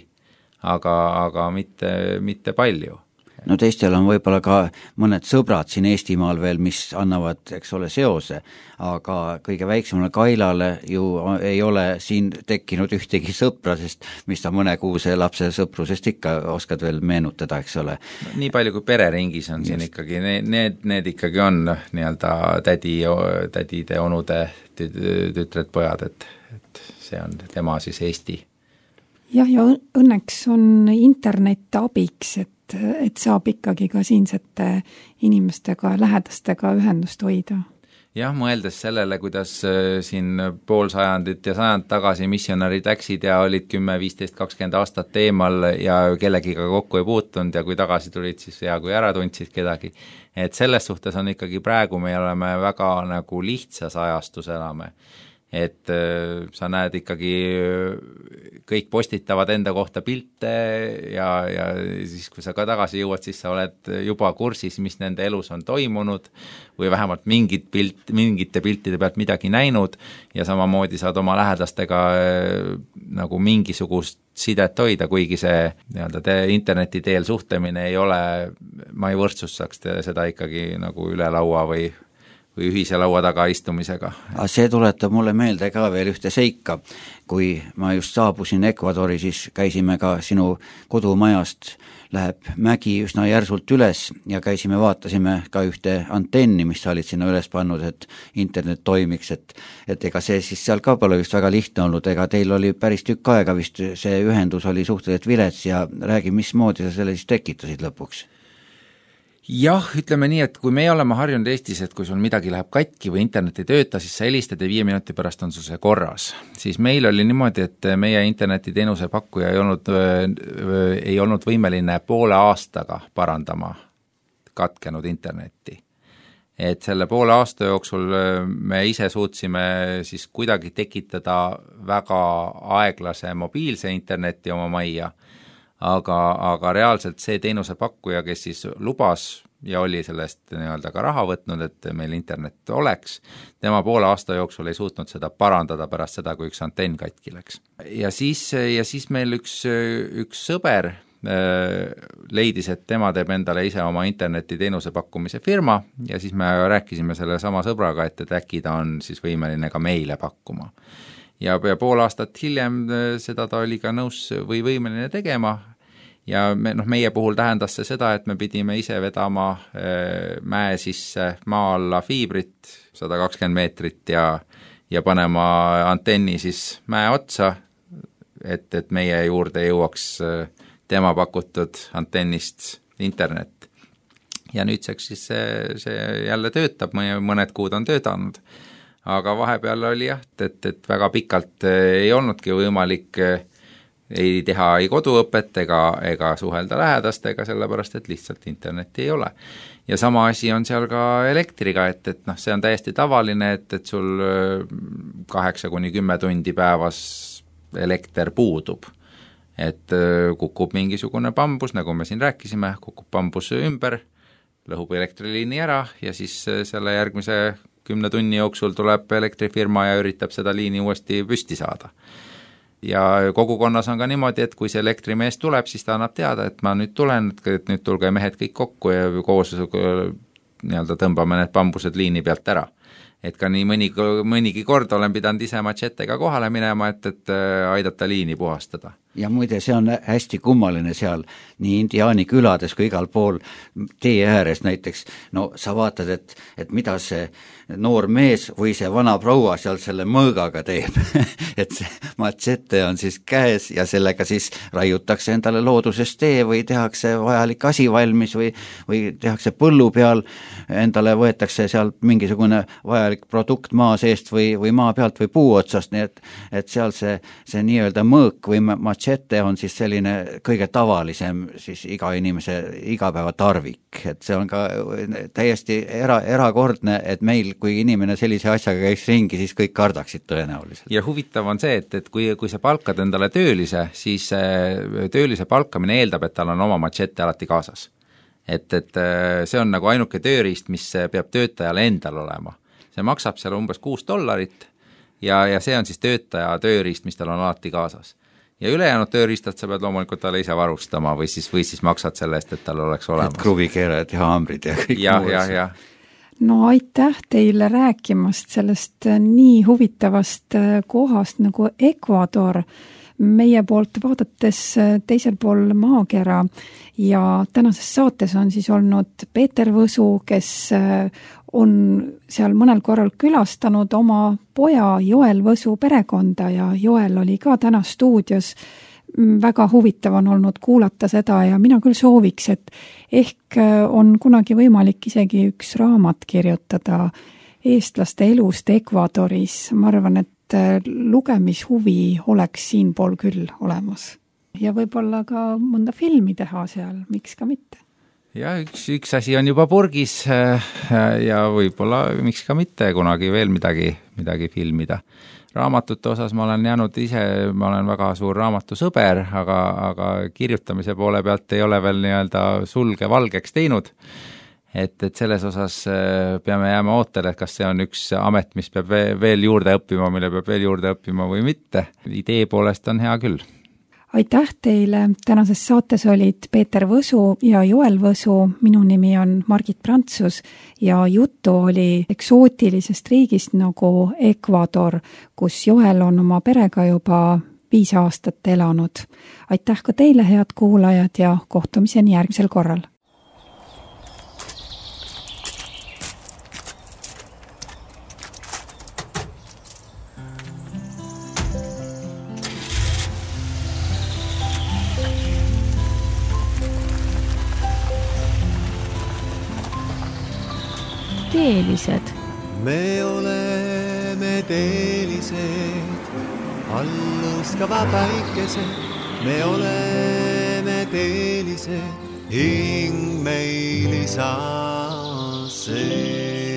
D: aga, aga mitte, mitte palju.
C: No teistel on võib-olla ka mõned sõbrad siin Eestimaal veel, mis annavad, eks ole, seose, aga kõige väiksemale Kailale ju ei ole siin tekkinud ühtegi sõpra, sest mis ta mõne kuuse lapse sõprusest ikka oskad veel meenutada, eks ole.
D: Nii palju kui pereringis on siin Just. ikkagi, need, need ikkagi on nii-öelda tädi, tädide, onude, tütred, pojad, et, et see on tema siis Eesti.
A: Jah, ja õnneks on internet abiks, et et saab ikkagi ka siinsete inimestega, lähedastega ühendust hoida.
D: Jah, mõeldes sellele, kuidas siin pool sajandit ja sajand tagasi missionärid läksid ja olid kümme, viisteist, kakskümmend aastat teemal ja kellegiga kokku ei puutunud ja kui tagasi tulid, siis hea, kui ära tundsid kedagi. Et selles suhtes on ikkagi praegu me oleme väga nagu lihtsas ajastus elame. Et äh, sa näed ikkagi, kõik postitavad enda kohta pilte ja, ja siis kui sa ka tagasi jõuad, siis sa oled juba kursis, mis nende elus on toimunud või vähemalt mingit pilt, mingite piltide pealt midagi näinud ja samamoodi saad oma lähedastega äh, nagu mingisugust sidet hoida, kuigi see nii-öelda te, interneti teel suhtlemine ei ole, ma ei võrdsustaks seda ikkagi nagu üle laua või või ühise laua taga istumisega.
C: See tuletab mulle meelde ka veel ühte seika. Kui ma just saabusin Ecuadori, siis käisime ka sinu kodumajast, läheb mägi üsna järsult üles ja käisime, vaatasime ka ühte antenni, mis sa olid sinna üles pannud, et internet toimiks, et, et ega see siis seal ka pole vist väga lihtne olnud, ega teil oli päris tükk aega vist, see ühendus oli suhteliselt vilets ja räägi, mismoodi sa selle siis tekitasid lõpuks?
D: Jah, ütleme nii, et kui me oleme harjunud Eestis, et kui sul midagi läheb katki või internet ei tööta, siis sa helistad ja viie minuti pärast on sul see korras. Siis meil oli niimoodi, et meie internetiteenuse pakkuja ei olnud, ei olnud võimeline poole aastaga parandama katkenud internetti. Et selle poole aasta jooksul me ise suutsime siis kuidagi tekitada väga aeglase mobiilse interneti oma majja, aga, aga reaalselt see teenuse pakkuja, kes siis lubas ja oli sellest nii-öelda ka raha võtnud, et meil internet oleks, tema poole aasta jooksul ei suutnud seda parandada pärast seda, kui üks antenn katki läks. Ja siis, ja siis meil üks, üks sõber leidis, et tema teeb endale ise oma internetiteenuse pakkumise firma ja siis me rääkisime selle sama sõbraga, et, et äkki ta on siis võimeline ka meile pakkuma. Ja, ja pool aastat hiljem seda ta oli ka nõus või võimeline tegema ja me, noh, meie puhul tähendas see seda, et me pidime ise vedama mäe sisse maa alla fiibrit sada kakskümmend meetrit ja, ja panema antenni siis mäe otsa, et, et meie juurde jõuaks tema pakutud antennist internet. Ja nüüdseks siis see, see jälle töötab, mõned kuud on töötanud. Aga vahepeal oli jah, et, et väga pikalt ei olnudki võimalik ei teha ei koduõpet ega, ega suhelda lähedastega, sellepärast et lihtsalt internetti ei ole. Ja sama asi on seal ka elektriga, et, et noh, see on täiesti tavaline, et, et sul kaheksa kuni kümme tundi päevas elekter puudub. Et kukub mingisugune bambus, nagu me siin rääkisime, kukub bambus ümber, lõhub elektriliini ära ja siis selle järgmise kümne tunni jooksul tuleb elektrifirma ja üritab seda liini uuesti püsti saada. Ja kogukonnas on ka niimoodi, et kui see elektrimees tuleb, siis ta annab teada, et ma nüüd tulen, et nüüd tulge mehed kõik kokku ja koos nii-öelda tõmbame need bambused liini pealt ära. Et ka nii mõni, mõnigi kord olen pidanud ise matšetega kohale minema, et, et aidata liini puhastada.
C: Ja muide, see on hästi kummaline seal nii indiaani külades kui igal pool tee ääres näiteks. No sa vaatad, et, et mida see noor mees või see vana proua seal selle mõõgaga teeb. Et see matšete on siis käes ja sellega siis raiutakse endale looduses tee või tehakse vajalik asi valmis või, või tehakse põllu peal, endale võetakse sealt mingisugune vajalik produkt maa seest või, või maa pealt või puu otsast, nii et, et seal see, see nii-öelda mõõk või matšete on siis selline kõige tavalisem siis iga inimese igapäeva tarvik, et see on ka täiesti era, erakordne, et meil, kui inimene sellise asjaga käiks ringi, siis kõik kardaksid tõenäoliselt.
D: Ja huvitav on see, et, et kui, kui sa palkad endale töölise, siis töölise palkamine eeldab, et tal on oma matšette alati kaasas. Et, et see on nagu ainuke tööriist, mis peab töötajale endal olema. See maksab seal umbes kuus dollarit ja, ja see on siis töötaja tööriist, mis tal on alati kaasas. Ja ülejäänud tööriistad sa pead loomulikult talle ise varustama või siis, või siis maksad selle eest, et tal oleks olemas.
C: Et kruvikeerajad ja haamrid ja kõik
D: ja, ja, ja.
A: No aitäh teile rääkimast sellest nii huvitavast kohast nagu Ecuador, meie poolt vaadates teisel pool maakera ja tänases saates on siis olnud Peeter Võsu, kes on seal mõnel korral külastanud oma poja Joel Võsu perekonda ja Joel oli ka täna stuudios. Väga huvitav on olnud kuulata seda ja mina küll sooviks, et ehk on kunagi võimalik isegi üks raamat kirjutada eestlaste elust Ecuadoris. Ma arvan, et lugemishuvi oleks siinpool küll olemas. Ja võib-olla ka mõnda filmi teha seal, miks ka mitte.
D: Ja üks, üks asi on juba purgis ja võib-olla miks ka mitte kunagi veel midagi, midagi filmida. Raamatute osas ma olen jäänud ise, ma olen väga suur raamatusõber, aga, aga kirjutamise poole pealt ei ole veel nii-öelda sulge valgeks teinud. Et, et selles osas peame jääma ootele, et kas see on üks amet, mis peab veel juurde õppima, mille peab veel juurde õppima või mitte. Idee poolest on hea küll.
A: Aitäh teile, tänases saates olid Peeter Võsu ja Joel Võsu, minu nimi on Margit Prantsus ja juttu oli eksootilisest riigist nagu Ecuador, kus Joel on oma perega juba viis aastat elanud. Aitäh ka teile, head kuulajad, ja kohtumiseni järgmisel korral.
E: teelised?
B: Me oleme teelised, alluskava päikesed. Me oleme teelised, hing meil isa see.